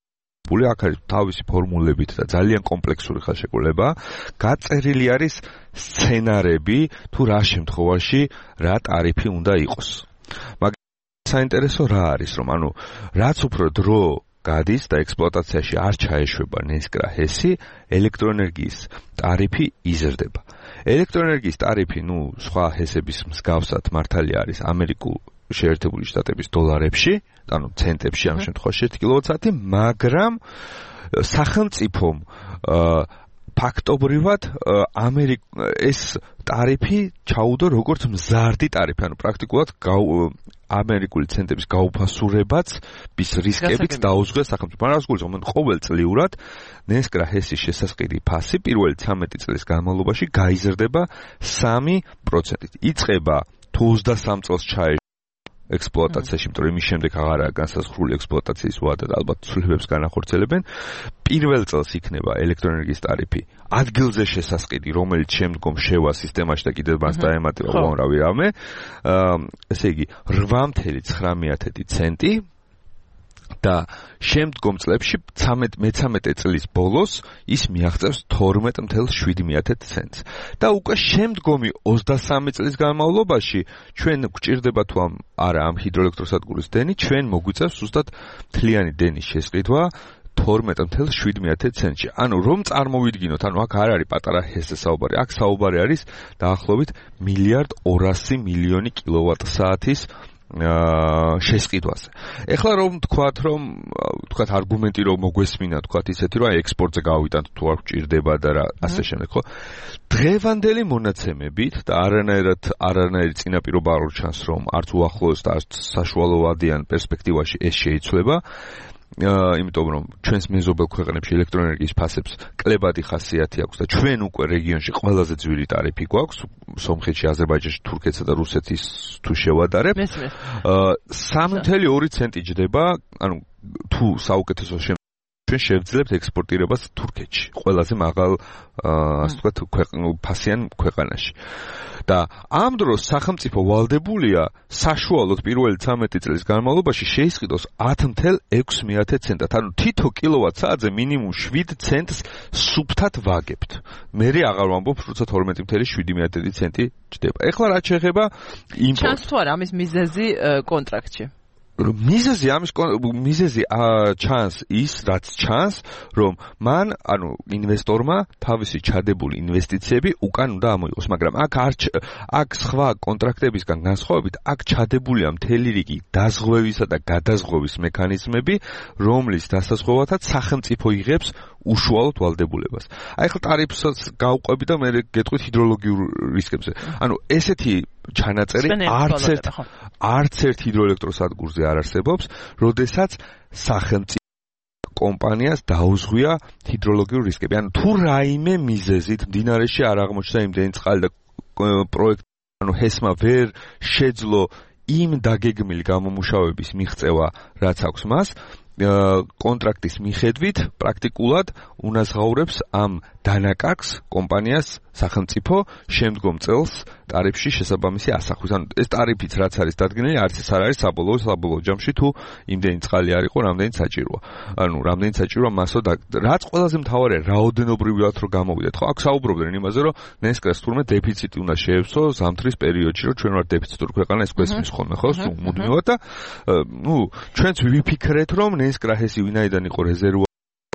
აქ არის თავისი ფორმულებით და ძალიან კომპლექსური ხელშეკრულება. გაწერილი არის სცენარები თუ რა შემთხვევაში რა ტარიფი უნდა იყოს. მაგრამ საინტერესო რა არის, რომ რაც უფრო დრო გადის და ექსპლუატაციაში არ ჩაეშვება ნესკრა ჰესი, ელექტროენერგიის ტარიფი იზრდება. ელექტროენერგიის ტარიფი, სხვა ჰესების მსგავსად მართალია არის ამერიკულ შეერთებული შტატების დოლარებში, ანუ ცენტებში ამ შემთხვევაში 1 კილოვატ-საათი, მაგრამ სახელმწიფომ ფაქტობრივად ეს ტარიფი ჩაუდო როგორც მზარდი ტარიფი, ანუ პრაქტიკულად ამერიკული ცენტების გაუფასურებაც რისკებით დაუძღვეს სახელმწიფო. მაგრამ რას გულისხმობ, ყოველწლიურად ნესკრა ჰესის შესასყიდი ფასი პირველი 13 წლის განმავლობაში გაიზრდება 3%-ით. იწყება თუ 23 წელს ჩაეშვა ექსპლუატაციაში, იმიტომ რომ იმის შემდეგ აღარაა განსაზღვრული ექსპლუატაციის ვადა და ალბათ ცვლილებებს განახორციელებენ. პირველ წელს იქნება ელექტროენერგიის ტარიფი ადგილზე შესასყიდი, რომელიც შემდგომ შევა სისტემაში და კიდევ მას დაემატება უამრავი რამე. ესე იგი 8.19 ცენტი და შემდგომ წლებში 13 წლის ბოლოს ის მიაღწევს 12.7 ცენტს. და უკვე შემდგომი 23 წლის განმავლობაში ჩვენ გვჭირდება თუ არა ამ ჰიდროელექტროსადგურის დენი, ჩვენ მოგვიწევს ზუსტად მთლიანი დენის შესყიდვა 12.7 ცენტში. ანუ რომ წარმოვიდგინოთ, აქ არ არის პატარა ჰესზე საუბარი, აქ საუბარი არის დაახლოებით 1.2 კილოვატ-საათის შესყიდვაზე. ეხლა რომ თქვათ არგუმენტი რომ მოგვესმინა, თქვათ ისეთი რომ ექსპორტზე გავიტანთ თუ არ გვჭირდება და რა ასე შემდეგ, ხო? დღევანდელი მონაცემებით და არანაირი წინაპირობა არ ჩანს რომ არც უახლოეს და არც საშუალოვადიან პერსპექტივაში ეს შეიცვლება. იმიტომ რომ ჩვენს მეზობელ ქვეყნებში ელექტროენერგიის ფასებს კლებადი ხასიათი აქვს და ჩვენ უკვე რეგიონში ყველაზე ძვირი ტარიფი გვაქვს, სომხეთში, აზერბაიჯანში, თურქეთსა და რუსეთის თუ შევადარებ. 3.2 ცენტი ჯდება, ანუ თუ საუკეთესო ჩვენ შევძლებთ ექსპორტირებას თურქეთში, ყველაზე მაღალ ასე ვთქვათ ფასიან ქვეყანაში. და ამ დროს სახელმწიფო ვალდებულია საშუალოდ პირველი 13 წლის განმავლობაში შეისყიდოს 10.6 ცენტად, ანუ თითო კილოვატ-საათზე მინიმუმ 7 ცენტს სუფთად ვაგებთ. მე აღარ ვამბობ, როცა 12.7 ცენტი ჯდება. ეხლა რაც შეეხება იმპორტს. ჩანს თუ არა ამის მიზეზი კონტრაქტში? მიზეზი ჩანს ის, რაც ჩანს, რომ მან, ინვესტორმა თავისი ჩადებული ინვესტიციები უკან უნდა ამოიღოს, მაგრამ აქ სხვა კონტრაქტებისგან განსხვავებით, აქ ჩადებულია მთელი რიგი დაზღვევისა და გადაზღვევის მექანიზმები, რომლის დასაზღვევათაც სახელმწიფო იღებს უშუალოდ ვალდებულებას. აი ხა ტარიფსაც გავყვები და მე გეტყვით ჰიდროლოგიურ რისკებზე. ესეთი ჩანაწერი არც ერთ ჰიდროელექტროსადგურზე არ არსებობს, როდესაც სახელმწიფო კომპანიას დაუზღვია ჰიდროლოგიურ რისკები. თუ რაიმე მიზეზით მდინარეში არ აღმოჩნდა იმდენი წყალი და პროექტ ჰესმა ვერ შეძლო იმ დაგეგმილი გამომუშავების მიღწევა, რაც აქვს მას, კონტრაქტის მიხედვით პრაქტიკულად უნაზღაურებს ამ დანაკარგს კომპანიას სახელმწიფო შემდგომ წელს ტარიფში შესაბამისი ასახვის. ეს ტარიფიც რაც არის დადგენილი, არც ეს არ არის საბოლოო ჯამში თუ იმდენი წყალი არ იყო, რამდენიც საჭიროა. რამდენიც საჭიროა მასო და რაც ყველაზე მთავარია, რაოდენობრივად რომ გამოვიდეთ. ხო, აქ საუბრობდნენ იმაზე, რომ ნესკრას თურმე დეფიციტი უნდა შეეცვლო ზამთრის პერიოდში, რომ ჩვენ ვართ დეფიციტური ქვეყანა, ეს გვესმის ხოლმე, ხო, მუდმივად და ჩვენც ვიფიქრეთ, რომ ნესკრა ჰესი ვინაიდან იყო რეზერვა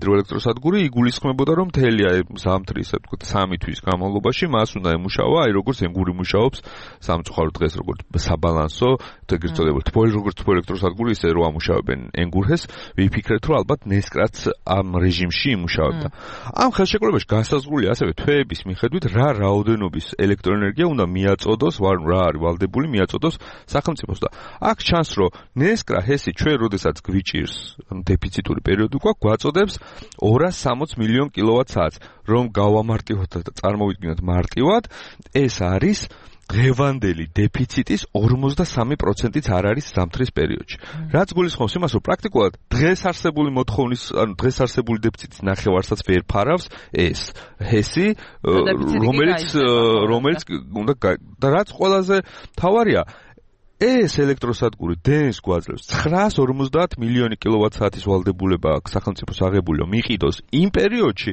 ჰიდროელექტროსადგური, იგულისხმებოდა რომ მთელი ზამთრის, ასე ვთქვათ, 3 თვის განმავლობაში მას უნდა ემუშავა, როგორც ენგური მუშაობს სამწუხარო დღეს როგორც საბალანსო, ეგრეთ წოდებული როგორც თბოელექტროსადგური, ისე რომ ამუშავებენ ენგურჰეს, ვიფიქრეთ რომ ალბათ ნესკრაც ამ რეჟიმში იმუშავებდა. ამ ხელშეკრულებაში განსაზღვრულია ასევე თვეების მიხედვით რა რაოდენობის ელექტროენერგია უნდა მიაწოდოს, რა არის ვალდებული მიაწოდოს სახელმწიფოს და აქ ჩანს რომ ნესკრა ჰესი ჩვენ როდესაც გვიჭირს დეფიციტური პერიოდი გვაწოდებს 260 მილიონ კილოვატ-საათს. რომ გავამარტივოთ და წარმოვიდგინოთ მარტივად, ეს არის დღევანდელი დეფიციტის 43%-იც არ არის ზამთრის პერიოდში. რაც გულისხმობს იმას, რომ პრაქტიკულად დღეს არსებული მოთხოვნის, ანუ დღეს არსებული დეფიციტის ნახევარსაც ვერ ფარავს ეს ჰესი, რომელიც უნდა და რაც ყველაზე მთავარია, ეს ელექტროსადგური დენს გვაძლევს 950 მილიონი კილოვატ-საათის ვალდებულება აქვს სახელმწიფოს აღებული, რომ იყიდოს იმ პერიოდში,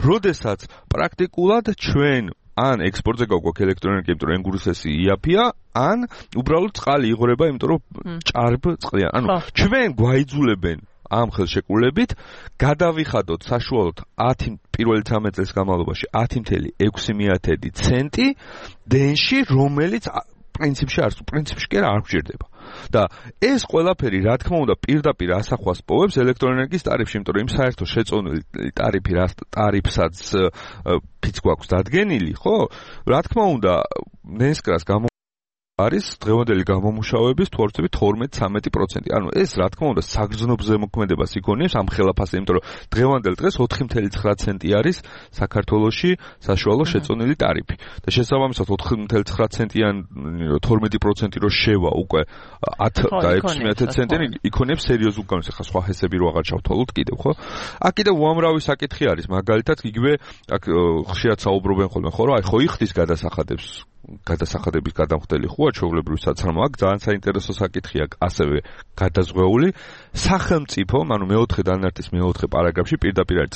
როდესაც პრაქტიკულად ჩვენ ან ექსპორტზე გაგვაქვს ელექტროენერგია, იმიტომ რომ ენგურსესი იაფია, ან უბრალოდ წყალი იღვრება, იმიტომ რომ ჭარბ წყლია. ანუ ჩვენ გვაიძულებენ ამ ხელშეკრულებით გადავიხადოთ საშუალოდ 10 პირველი 13 წელს განმავლობაში 10.6 ცენტი დენში, რომელიც პრინციპში კი არ გვჭირდება. და ეს ყველაფერი, რა თქმა უნდა, პირდაპირ ასახვას პოვებს ელექტროენერგიის ტარიფში, იმიტომ რომ იმ საერთო შეწონილი ტარიფი, რა ტარიფსაც ფიც გვაქვს დადგენილი, ხო? რა თქმა უნდა, ნესკრას არის დღევანდელი გამომუშავების თორცები 12-13%. ანუ ეს რა თქმა უნდა საგრძნობ ზემოქმედებას იქონიებს ამ ხელაფასზე, იმიტომ რომ დღევანდელ დღეს 4.9 ცენტი არის საქართველოში საშუალო შეწონილი ტარიფი. და შესაბამისად 4.9 ცენტიან 12% რო შევა უკვე 10 და 6 ცენტი იქონიებს სერიოზულ გამოს. ახლა სხვა ჰესები რო აღარ ჩავთვალოთ კიდევ, ხო? აქ კიდევ უამრავი საკითხი არის, მაგალითად იგივე აქ ხშირად საუბრობენ ხოლმე, ხო, რომ აი ხო იხდის გადასახადების გადამხდელი ხოა ჩვეულებრივი საცრამო. აქ ძალიან საინტერესო საკითხია ასევე გადაზღვეული სახელმწიფო, ანუ მეოთხე დანართის მეოთხე პარაგრაფში პირდაპირ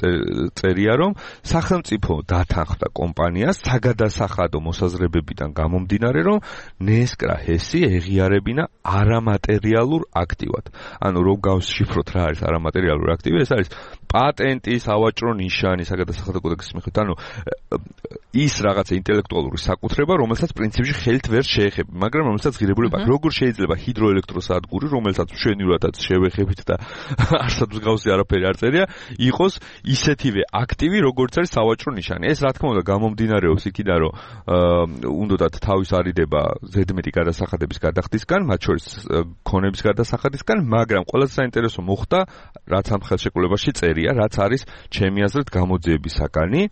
წერია, რომ სახელმწიფო დათანხმდა კომპანიას საგადასახადო მოსაზრებებიდან გამომდინარე, რომ ნესკრა ჰესი ეღიარებინა არამატერიალურ აქტივად. ანუ რომ გავშიფროთ რა არის არამატერიალური აქტივი, ეს არის პატენტი, სავაჭრო ნიშანი საგადასახადო კოდექსის მიხედვით, ანუ ის რაღაცა ინტელექტუალური საკუთრება, რომელსაც პრინციპში ხელით ვერ შეეხება, მაგრამ რომელსაც ღირებულება აქვს. როგორ შეიძლება ჰიდროელექტროსადგური, რომელსაც მშვენივრადაც შევეხებით და არსად მსგავსი არაფერი არ წერია, იყოს ისეთივე აქტივი, როგორც არის სავაჭრო ნიშანი. ეს რა თქმა უნდა გამომდინარეობს იქიდან, რომ უნდათ თავის არიდება ზედმეტი გადასახადების გადახდისგან, მათ შორის ქონების გადასახადისგან, მაგრამ ყველაზე საინტერესო მოხდა, რაც ამ ხელშეკრულებაში წერია, რაც არის ჩემი აზრით გამოძიების საკანი,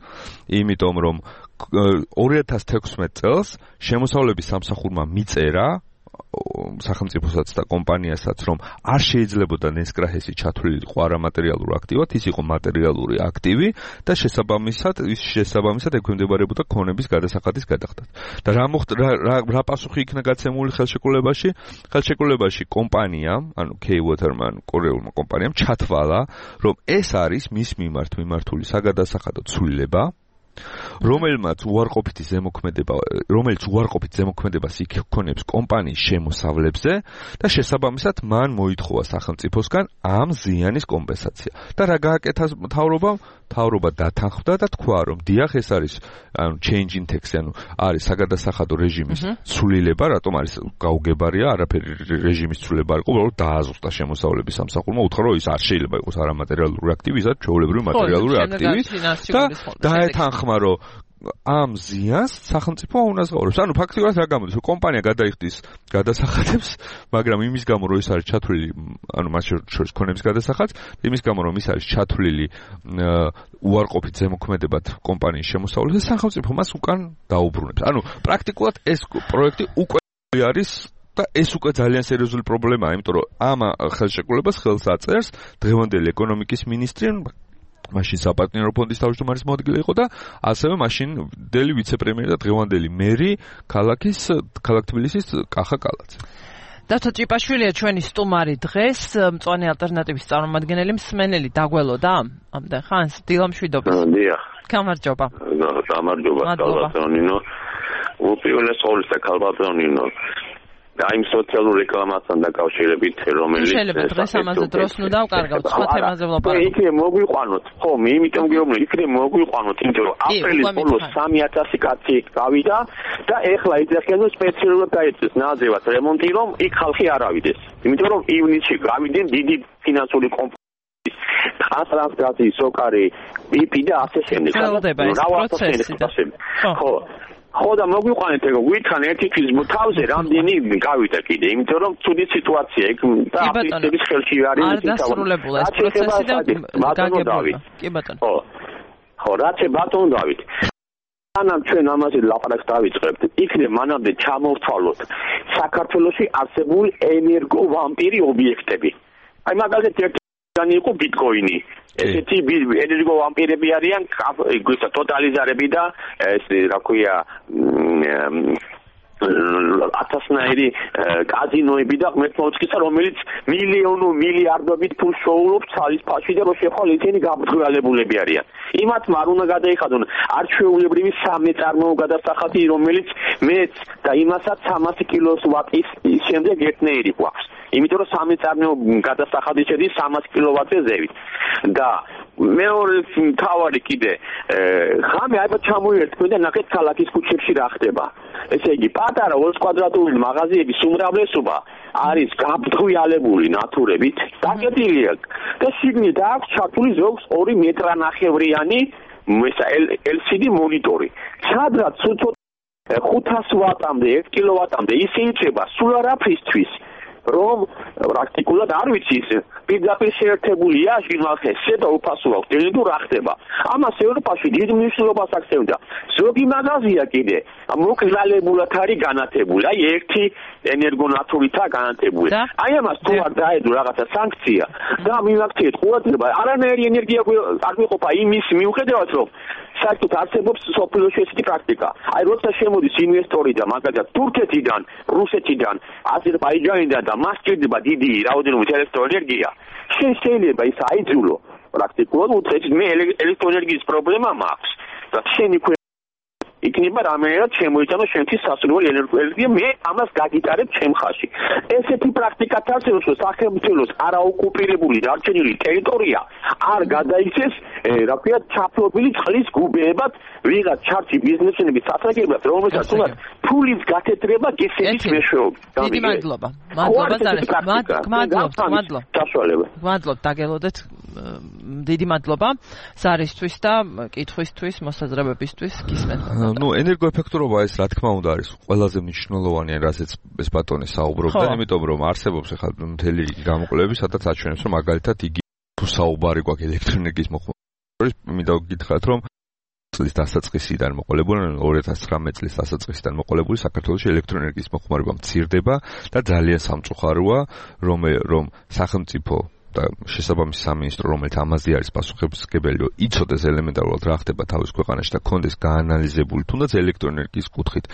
იმიტომ რომ 2016 წელს შემოსავლების სამსახურმა მიწერა სახელმწიფოსაც და კომპანიასაც, რომ არ შეიძლებოდა ნესკრა ჰესი ჩათვლილიყო არამატერიალურ აქტივად, ის იყო მატერიალური აქტივი და შესაბამისად ექვემდებარებოდა ქონების გადასახადის გადახდას. და რა პასუხი იქნა გაცემული ხელშეკრულებაში კომპანიამ, ანუ K-Waterman კორეულმა კომპანიამ ჩათვალა, რომ ეს არის მის მიმართ მიმართული საგადასახადო ცვლილება, რომელიც უარყოფით ზემოქმედებას იქონებს კომპანიის შემოსავლებზე და შესაბამისად მან მოითხოვა სახელმწიფოსგან ამ ზიანის კომპენსაცია. და რა გააკეთა მთავრობა დათანხმდა და თქვა, რომ დიახ, ეს არის change in tax, ანუ არის საგადასახადო რეჟიმის ცვლილება, რატომ არის გაუგებარია, არაფერი რეჟიმის ცვლილება არ იყო, უბრალოდ დააზუსტა შემოსავლების სამსახურმა, უთხრა, რომ ის არ შეიძლება იყოს არამატერიალური აქტივი, ის არის ჩვეულებრივი მატერიალური აქტივი და დაეთანხმა, რომ ამ ზიანს სახელმწიფო უნაზღაურებს. ანუ ფაქტიურად რა გამოდის, რომ კომპანია გადაიხდის გადასახადებს, მაგრამ იმის გამო, რომ ის არის ჩათვლილი, ანუ მას შორის ქონების გადასახადს, იმის გამო, რომ ის არის ჩათვლილი უარყოფით ზემოქმედებად კომპანიის შემოსავლებზე, სახელმწიფო მას უკან დაუბრუნებს. ანუ პრაქტიკულად ეს პროექტი უკვე არის და ეს უკვე ძალიან სერიოზული პრობლემაა, იმიტომ რომ ამ ხელშეკრულებას ხელს აწერს დღევანდელი ეკონომიკის მინისტრი, მაშინ საპარტნიორო ფონდის თავმჯდომარის მოადგილე იყო და ასევე მაშინდელი ვიცე-პრემიერი და დღევანდელი მერი ქალაქ თბილისის კახა კალაძე. დათო ჭიპაშვილია ჩვენი სტუმარი დღეს, მწვანე ალტერნატივის წარმომადგენელი, მსმენელი დაგველოდა ამდენ ხანს, დილამშვიდობის. დიახ. გამარჯობა. გამარჯობა, კალბატონინო. უპირველეს ყოვლისა კალბატონინო. აი სოციალური რეკლამასთან დაკავშირებით, რომელიც შეიძლება დღეს ამაზე დროს ნუ დავკარგავთ, სხვა თემაზე ვლაპარაკობთ. იქნებ მოგვიყვანოთ, ხო, იმიტომ გეუბნები, იქნებ მოგვიყვანოთ, იმიტომ რომ აპრილის ბოლოს 3000 კაცი გავიდა და ეხლა იძახიან, რომ სპეციალურად დაიწყეს ნაძევად რემონტი, რომ იქ ხალხი არ ავიდეს. იმიტომ რომ ივნისში გავიდნენ დიდი ფინანსური კომპანიის ტრანსპორტაციის სოკარი, BP და ასე შემდეგ. ხელდება ეს პროცესი. ხო. ხო და მოგვიყვანეთ ეგ ვითხრან ერთი თვის თავზე რამდენი გავიდა კიდე იმიტომ რომ ცუდი სიტუაცია იქ და აფრიკის ხელში არის არ დასრულებულა ეს პროცესი და გაგებულა კი ბატონო ხო რაც ბატონო დავით ანამ ჩვენ ამაზე ლაპარაკს დავიწყებთ იქნებ მანამდე ჩამოვთვალოთ საქართველოში არსებული ენერგო ვამპირი ობიექტები აი მაგალითად ერთიანი იყო ბიტკოინი ესეთი ენერგო ვამპირები არიან ისა ტოტალიზარები და ეს რა ქვია ათასნაირი კაზინოები და ღმერთმოწყისა რომელიც მილიარდობით ფულს შოულობს ცალის ფაში და რო შეხვალ ისინი გაბრძოლებულები არიან იმათ არ უნდა გადაიხადონ არჩეულებრივი სამეწარმოო გადასახადი რომელიც მეც და იმასაც 300 კილოს ვატის შემდეგ ერთნაირი გვაქვს იმიტომ რომ სამეწარმოო გადასახადი შედის 300 კილოვატზე ზევით და მეორე თავარი კიდე ხამე ალბათ ჩამოერთმე და ნახეთ ქალაქის ქუჩებში რა ხდება ესე იგი პატარა 2 კვადრატული მაღაზიების უმრავლესობა არის გაბრძოლებული ნატურებით დაკეტილია და შიგნით აქვს ჩართული ზოგს 2 მეტრანახევრიანი LCD მონიტორი სადაც 500 ვატამდე 1 კილოვატამდე ისე იჭება სულ არაფრისთვის რომ პრაქტიკულად არ ვიცი პირდაპირ შეერთებულია ჟინვალხესზე და უფასო აქვს დეიდუ რა ხდება ამას ევროპაში დიდ მნიშვნელობას აქცევდა ზოგი მაღაზია კიდე მოკრძალებულად არის განათებული აი ერთი ენერგონატურითაა განათებული აი ამას თუ არ დაედო რაღაცა სანქცია და მიმაქციეთ ყურადღება არანაირი ენერგია არ გვიყოფა იმის მიუხედავად რომ საერთოდ არსებობს სოფლიოში ესეთი პრაქტიკა აი როცა შემოდის ინვესტორი და მაგალითად თურქეთიდან რუსეთიდან აზერბაიჯანიდან და მას ჭირდება დიდი რაოდენობით ელექტროენერგია შეიძლება ის აიძულო პრაქტიკულად უწევს მე ელექტროენერგიის პრობლემა მაქვს და შენი იქნება რამენერად შემოიტანო შენთვის სასურველი ენერგია მე ამას გაგიტარებ ჩემ ხაში ესეთი პრაქტიკა თასებს რომ სახელმწიფოს არაოკუპირებული დარჩენილი ტერიტორია არ გადაიქცეს რა ქვია ჩაფლობილი წყლის გუბეებად ვიღაც ჩართი ბიზნესმენების სასაგებად რომელსაც თუნდაც ფულის გათეთრება გესების მეშვეობით დიდი მადლობა მადლობთ დაგელოდეთ დიდი მადლობა ზარისთვის და კითხვისთვის მოსაზრებებისთვის გისმენთ ну ენერგოეფექტურობა ეს რა თქმა უნდა არის ყველაზე მნიშვნელოვანი რასაც ეს ბატონი საუბრობდა იმიტომ რომ არსებობს ახლა მთელი გამოკვლევები სადაც აჩვენებს რომ მაგალითად იგი თუ საუბარი გვაქვს ელექტროენერგიის მოხმარების მინდა გითხრათ რომ წლის დასაწყისიდან მოყოლებული 2019 წლის დასაწყისიდან მოყოლებული საქართველოში ელექტროენერგიის მოხმარება მცირდება და ძალიან სამწუხაროა რომ სახელმწიფო და შესაბამისი სამინისტრო რომელიც ამაზე არის პასუხისმგებელი რომ იცოდეს ელემენტარულად რა ხდება თავის ქვეყანაში და კონდეს გაანალიზებული თუნდაც ელექტროენერგიის კუთხით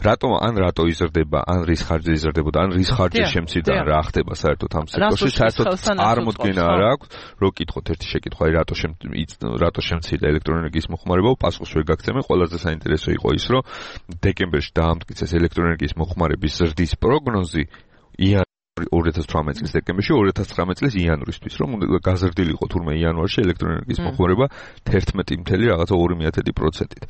რატო იზრდება ან რის ხარჯზე იზრდებოდა ან რის ხარჯზე შემცირდა რა ხდება საერთოდ ამ სექტორში საერთოდ წარმოდგენა არ აქვს რო კითხოთ ერთი შეკითხვა რატო შემცირდა ელექტროენერგიის მოხმარება პასუხს ვერ გაგცემენ ყველაზე საინტერესო იყო ის რომ დეკემბერში დაამტკიცეს ელექტროენერგიის მოხმარების ზრდის პროგნოზი 2018 წლის დეკემბერში 2019 წლის იანვრისთვის რომ გაზრდილიყო თურმე იანვარში ელექტროენერგიის მოხმარება 11.2%-ით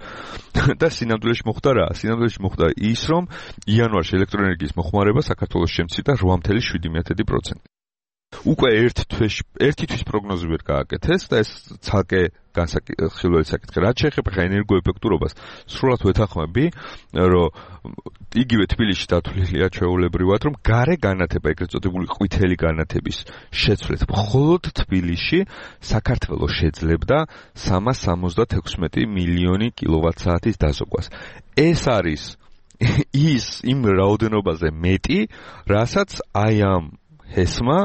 და სინამდვილეში მოხდა ის რომ იანვარში ელექტროენერგიის მოხმარება საქართველოს შემცირდა 8.7%. უკვე ერთი თვის პროგნოზი ვერ გააკეთეს და ეს ცალკე განსახილველი საკითხი. რაც შეეხება ენერგოეფექტურობას, სრულად ვეთანხმები, რომ იგივე თბილისში დათვლილია ჩვეულებრივად, რომ გარე განათება, ეგრეთ წოდებული ყვითელი განათების შეცვლით მხოლოდ თბილისში საქართველოს შეძლებდა 376 მილიონი კილოვატ-საათის დაზოგვას. ეს არის იმ რაოდენობაზე მეტი, რასაც აი ამ ჰესმა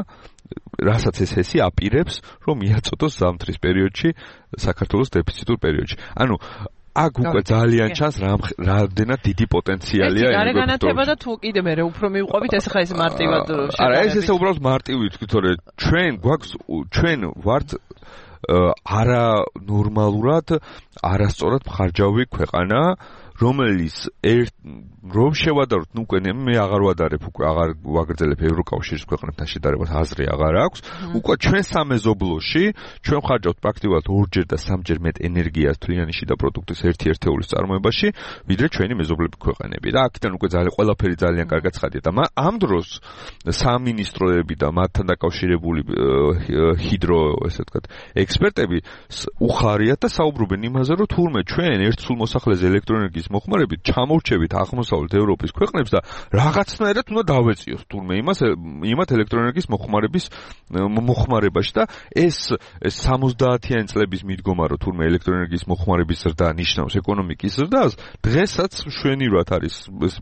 რასაც ეს ჰესი აპირებს, რომ მიაწოდოს ზამთრის პერიოდში, საქართველოს დეფიციტურ პერიოდში. ანუ აქ უკვე ძალიან ჩანს რამდენად დიდი პოტენციალია ენერგოეფექტურობის. გარე განათება და თუ კიდე მე უფრო მივყვებით, ეს ხა ეს მარტივად შეგვიძლია. არა, ეს უბრალოდ მარტივი თქვი, თორე ჩვენ ვართ არა ნორმალურად, არასწორად მხარჯავი ქვეყანა, რომელიც რომ შევადაროთ, უკვე მე აღარ ვადარებ, უკვე აღარ ვაგრძელებ ევროკავშირის ქვეყნებთან შედარებას, აზრი აღარ აქვს. უკვე ჩვენ სამეზობლოში ჩვენ ხარჯავთ პრაქტიკულად 2-ჯერ და 3-ჯერ მეტ ენერგიას თვლიანი შიდა პროდუქტის 1/1 წარმოებაში, ვიდრე ჩვენი მეზობლები ქვეყნები. და აქედან უკვე ყველაფერი ძალიან კარგად ცხადია და ამ დროს სამინისტროები და მათთან დაკავშირებული ჰიდრო, ესე ვთქვათ, ექსპერტები უხარიათ და საუბრობენ იმაზე, რომ თურმე ჩვენ ერთ სულ მოსახლეზე ელექტროენერგიის მოხმარებით ჩამორჩებით აღმოსავლეთ ევროპის ქვეყნებს და რაღაცნაირად უნდა დავეწიოთ თურმე იმათ ელექტროენერგიის მოხმარებაში და ეს 70-იანი წლების მიდგომა, რომ თურმე ელექტროენერგიის მოხმარების ზრდა ნიშნავს ეკონომიკის ზრდას, დღესაც შვენივრად არის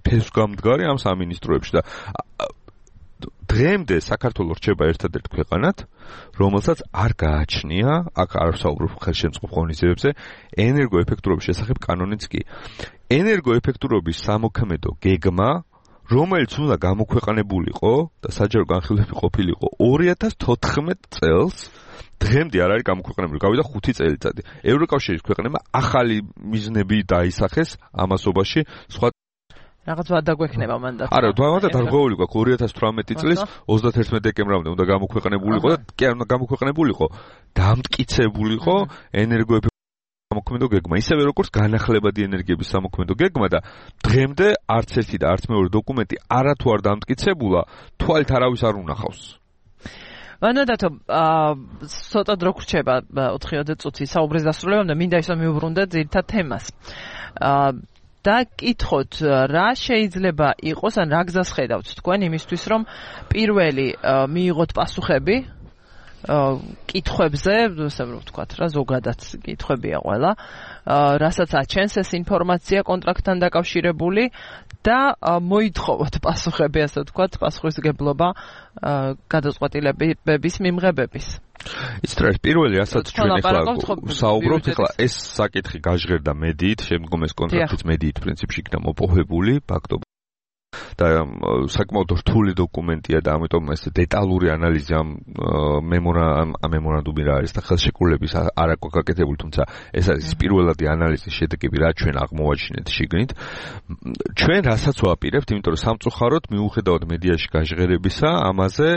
ფესვგამდგარი ამ სამინისტროებში და დღემდე საქართველო რჩება ერთადერთ ქვეყანად, რომელსაც არ გააჩნია, აქ არ ვსაუბრობ ხელშემწყობ ღონისძიებებზე, ენერგოეფექტურობის შესახებ კანონიც კი. ენერგოეფექტურობის სამოქმედო გეგმა, რომელიც უნდა გამოქვეყნებულიყო და საჯარო განხილვები ყოფილიყო 2014 წელს, დღემდე არ არის გამოქვეყნებული, გავიდა 5 წელიწადი. ევროკავშირის ქვეყნებმა ახალი მიზნები დაისახეს ამასობაში, სხვა რაღაც ვადაგვექნება მანდატი. არა, დავადა დარღვეული გვაქვს 2018 წლის 31 დეკემბრამდე უნდა გამოქვეყნებულიყო და კი არ უნდა გამოქვეყნებულიყო, დამტკიცებულიყო ენერგოეფექტურობის სამოქმედო გეგმა, ისევე როგორც განახლებადი ენერგიების სამოქმედო გეგმა და დღემდე არც ერთი და არც მეორე დოკუმენტი არათუ არ დამტკიცებულა, თვალით არავის არ უნახავს. ვანადათო, ცოტა დრო გრჩება 4-20 წუთი საუბრის დასრულებამდე, მინდა ისო მიუბრუნდეთ ძირითად თემას. და კითხოთ, რა შეიძლება იყოს, ან რა გზას ხედავთ თქვენ იმისთვის, რომ პირველი მიიღოთ პასუხები კითხვებზე, ასე რომ ვთქვათ რა, ზოგადად კითხვებია ყველა, რასაც აჩენს ეს ინფორმაცია კონტრაქტთან დაკავშირებული და მოითხოვოთ პასუხები, ასე ვთქვათ, პასუხისგებლობა გადაწყვეტილებების მიმღებების. იცით რა, პირველი რასაც ჩვენ ახლა საუბრობთ, ახლა ეს საკითხი გაჟღერდა მედიით, შემდგომ ეს კონტრაქტიც მედიით პრინციპში იქნა მოპოვებული, ფაქტობრივად. და საკმაოდ რთული დოკუმენტია და ამიტომ ეს დეტალური ანალიზი ამ მემორანდუმი რა არის და ხელშეკრულების არ აქვს გაკეთებული, თუმცა ეს არის პირველადი ანალიზის შედეგები, რა ჩვენ აღმოვაჩინეთ შიგნით. ჩვენ რასაც ვაპირებთ, იმიტომ რომ სამწუხაროდ მიუხედავად მედიაში გაჟღერებისა, ამაზე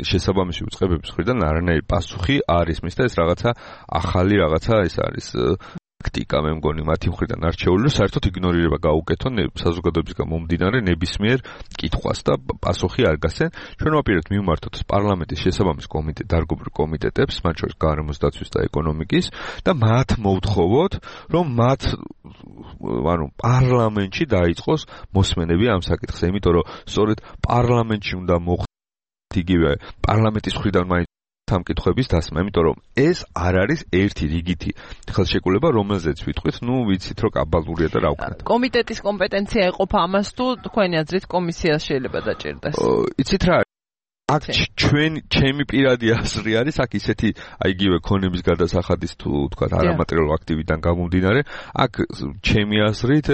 შესაბამისი უწყებების მხრიდან არანაირი პასუხი არ ისმის და ეს რაღაცა ახალი რაღაცა ეს არის ტაქტიკა, მე მგონი მათი მხრიდან არჩეული, რომ საერთოდ იგნორირება გაუკეთონ საზოგადოებისგან მომდინარე ნებისმიერ კითხვას და პასუხი არ გასცენ. ჩვენ ვაპირებთ მივმართოთ პარლამენტის შესაბამის დარგობრივ კომიტეტებს, მათ შორის გარემოს დაცვის და ეკონომიკის და მათ მოვთხოვოთ, რომ მათ პარლამენტში დაიწყოს მოსმენები ამ საკითხზე, იმიტომ რომ სწორედ პარლამენტში უნდა მოხდეს იგივე პარლამენტის მხრიდან ამ კითხვების დასმა, იმიტომ რომ ეს არ არის ერთი რიგითი ხელშეკრულება, რომელზეც ვიტყვით, ვიცით, რომ კაბალურია და რა ვქნათ. კომიტეტის კომპეტენცია ეყოფა ამას თუ თქვენი აზრით კომისიას შეიძლება დაჭირდეს? იცით რა, აქ ჩემი პირადი აზრი არის, აქ ისეთი იგივე ქონების გადასახადის თუ თქვა არამატერიალურ აქტივიდან გამომდინარე, აქ ჩემი აზრით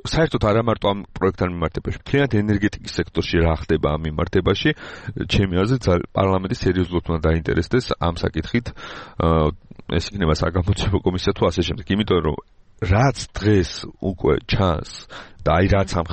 საერთოდ არა მარტო ამ პროექტთან მიმართებაში, მთლიანად ენერგეტიკის სექტორში რა ხდება ამ მიმართებაში, ჩემი აზრით პარლამენტი სერიოზულად უნდა დაინტერესდეს ამ საკითხით, ეს იქნება საგამოძიებო კომისია თუ ასე შემდეგ, იმიტომ რომ რაც დღეს უკვე ჩანს და რაც ამ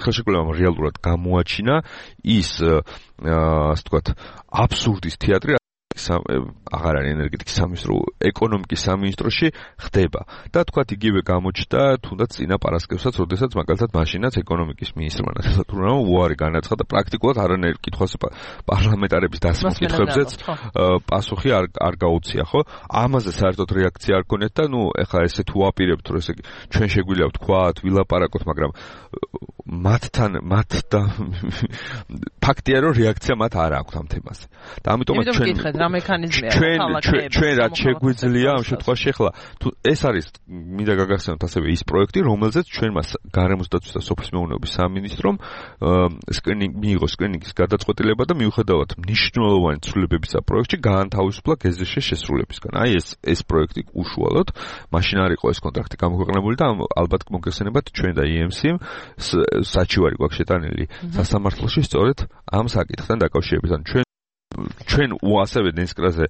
ხელშეკრულებამ რეალურად გამოაჩინა ის ასე ვთქვათ აბსურდის თეატრი აღარ არის ენერგეტიკის სამინისტრო, ეკონომიკის სამინისტროში ხდება და თქვათ იგივე გამოჩნდა თუნდაც წინა პარასკევსაც, როდესაც მაგალითად მაშინაც ეკონომიკის მინისტრმა ნახევარწრიული უარი განაცხადა, პრაქტიკულად არანაირ კითხვას პარლამენტარების დასმის კითხვებზეც პასუხი არ გაუწია, ხო? ამაზე საერთოდ რეაქცია არ ქონიათ და ეხლა ესე თუ ვაპირებთ, რომ ესე ჩვენ შეგვიძლია ვთქვათ, ვილაპარაკოთ, მაგრამ მათთან ფაქტია, რომ რეაქცია მათ არ აქვს ამ თემაზე. და ამიტომაც რა მექანიზმია ჩვენ რაც შეგვიძლია ამ შემთხვევაში ახლა თუ ეს არის მინდა გაგახსენოთ ასევე ის პროექტი, რომელზეც ჩვენმა გარემოს დაცვის და სოფლის მეურნეობის სამინისტრომ მიიღო სკრინინგის გადაწყვეტილება და მიუხედავად მნიშვნელოვანი ცვლილებებისა პროექტში გაანთავისუფლა გეზეშის შესრულებისგან. აი ეს პროექტი უშუალოდ მაშინ არ იყო ეს კონტრაქტი გამოქვეყნებული და ალბათ მოგეხსენებათ ჩვენ და EMC-მ საჩივარი გვაქვს შეტანილი სასამართლოში სწორედ ამ საკითხთან დაკავშირებით. ანუ ჩვენ ასევე ნესკრაზე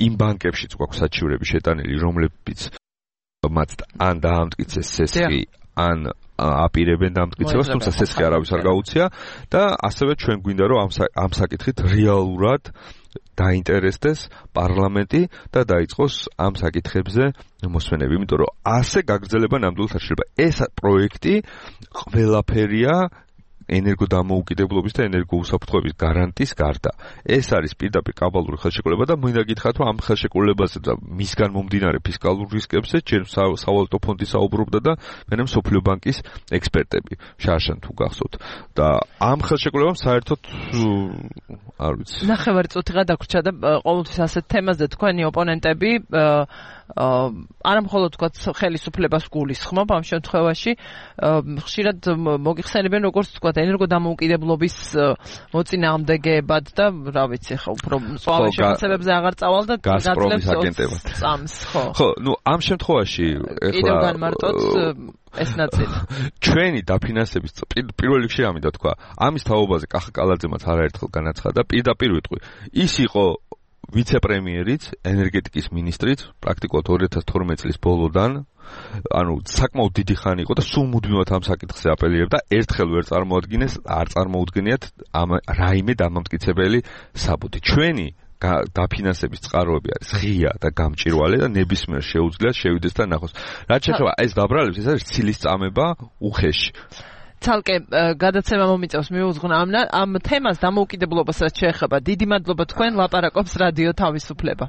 იმ ბანკებშიც გვაქვს საჩივრები შეტანილი, რომლებიც მათ ან დაამტკიცეს სესხი, ან აპირებენ დამტკიცებას, თუმცა სესხი არავის არ გაუწია და ასევე ჩვენ გვინდა რომ ამ საკითხით რეალურად დაინტერესდეს პარლამენტი და დაიწყოს ამ საკითხებზე მოსმენები, იმიტომ რომ ასე გაგრძელება ნამდვილად არ შეიძლება. ეს პროექტი ყველაფერია ენერგოდამოუკიდებლობის და ენერგოუსაფრთხოების გარანტიის გარდა. ეს არის პირდაპირ კაბალური ხელშეკრულება და მინდა გითხრათ, რომ ამ ხელშეკრულებაზე და მისგან მომდინარე ფისკალურ რისკებზე ჯერ სავალუტო ფონდი საუბრობდა და მერე მსოფლიო ბანკის ექსპერტები, შარშან თუ გახსოვთ. და ამ ხელშეკრულებამ საერთოდ არ ვიცი. ნახევარწუთიღა დაგვრჩა და ყოველთვის ასეთ თემაზე თქვენი ოპონენტები არა მხოლოდ თქვა ხელისუფლებას გულისხმობ ამ შემთხვევაში, ხშირად მოგიხსენებენ როგორც თქვა ენერგოდამოუკიდებლობის მოწინააღმდეგეებად და რა ვიცი ხო უფრო მწვავე შეფასებებზე აღარ წავალ და გაზპრომის აგენტებად წამს ხო ნუ ამ შემთხვევაში კიდევ განმარტოთ ეს ნაწილი ჩვენი დაფინანსების პირველ რიგში ამიდა თქვა ამის თაობაზე კახა კალაძემაც არაერთხელ განაცხადა პირდაპირ ვიტყვი ის იყო ვიცე-პრემიერიც, ენერგეტიკის ministrიც, პრაქტიკულად 2012 წლის ბოლოდან, ანუ საკმაოდ დიდი ხანი იყო და სულ მუდმივად ამ საკითხზე აპელირებდა, ერთხელ ვერ წარმოადგინეს, არ წარმოუდგენიათ რაიმე დამამტკიცებელი საბუთი. ჩვენი დაფინანსების წყაროები არის ღია და გამჭირვალე და ნებისმიერ შეუძლიათ შევიდეს და ნახოს. რაც შეეხება ეს დაბრალებს, ეს არის ცილის წამება უხეში. ცალკე გადაცემა მომიწევს მიუძღვნა ამ თემას დამოუკიდებლობასაც შეეხება. დიდი მადლობა თქვენ ლაპარაკობს რადიო თავისუფლება.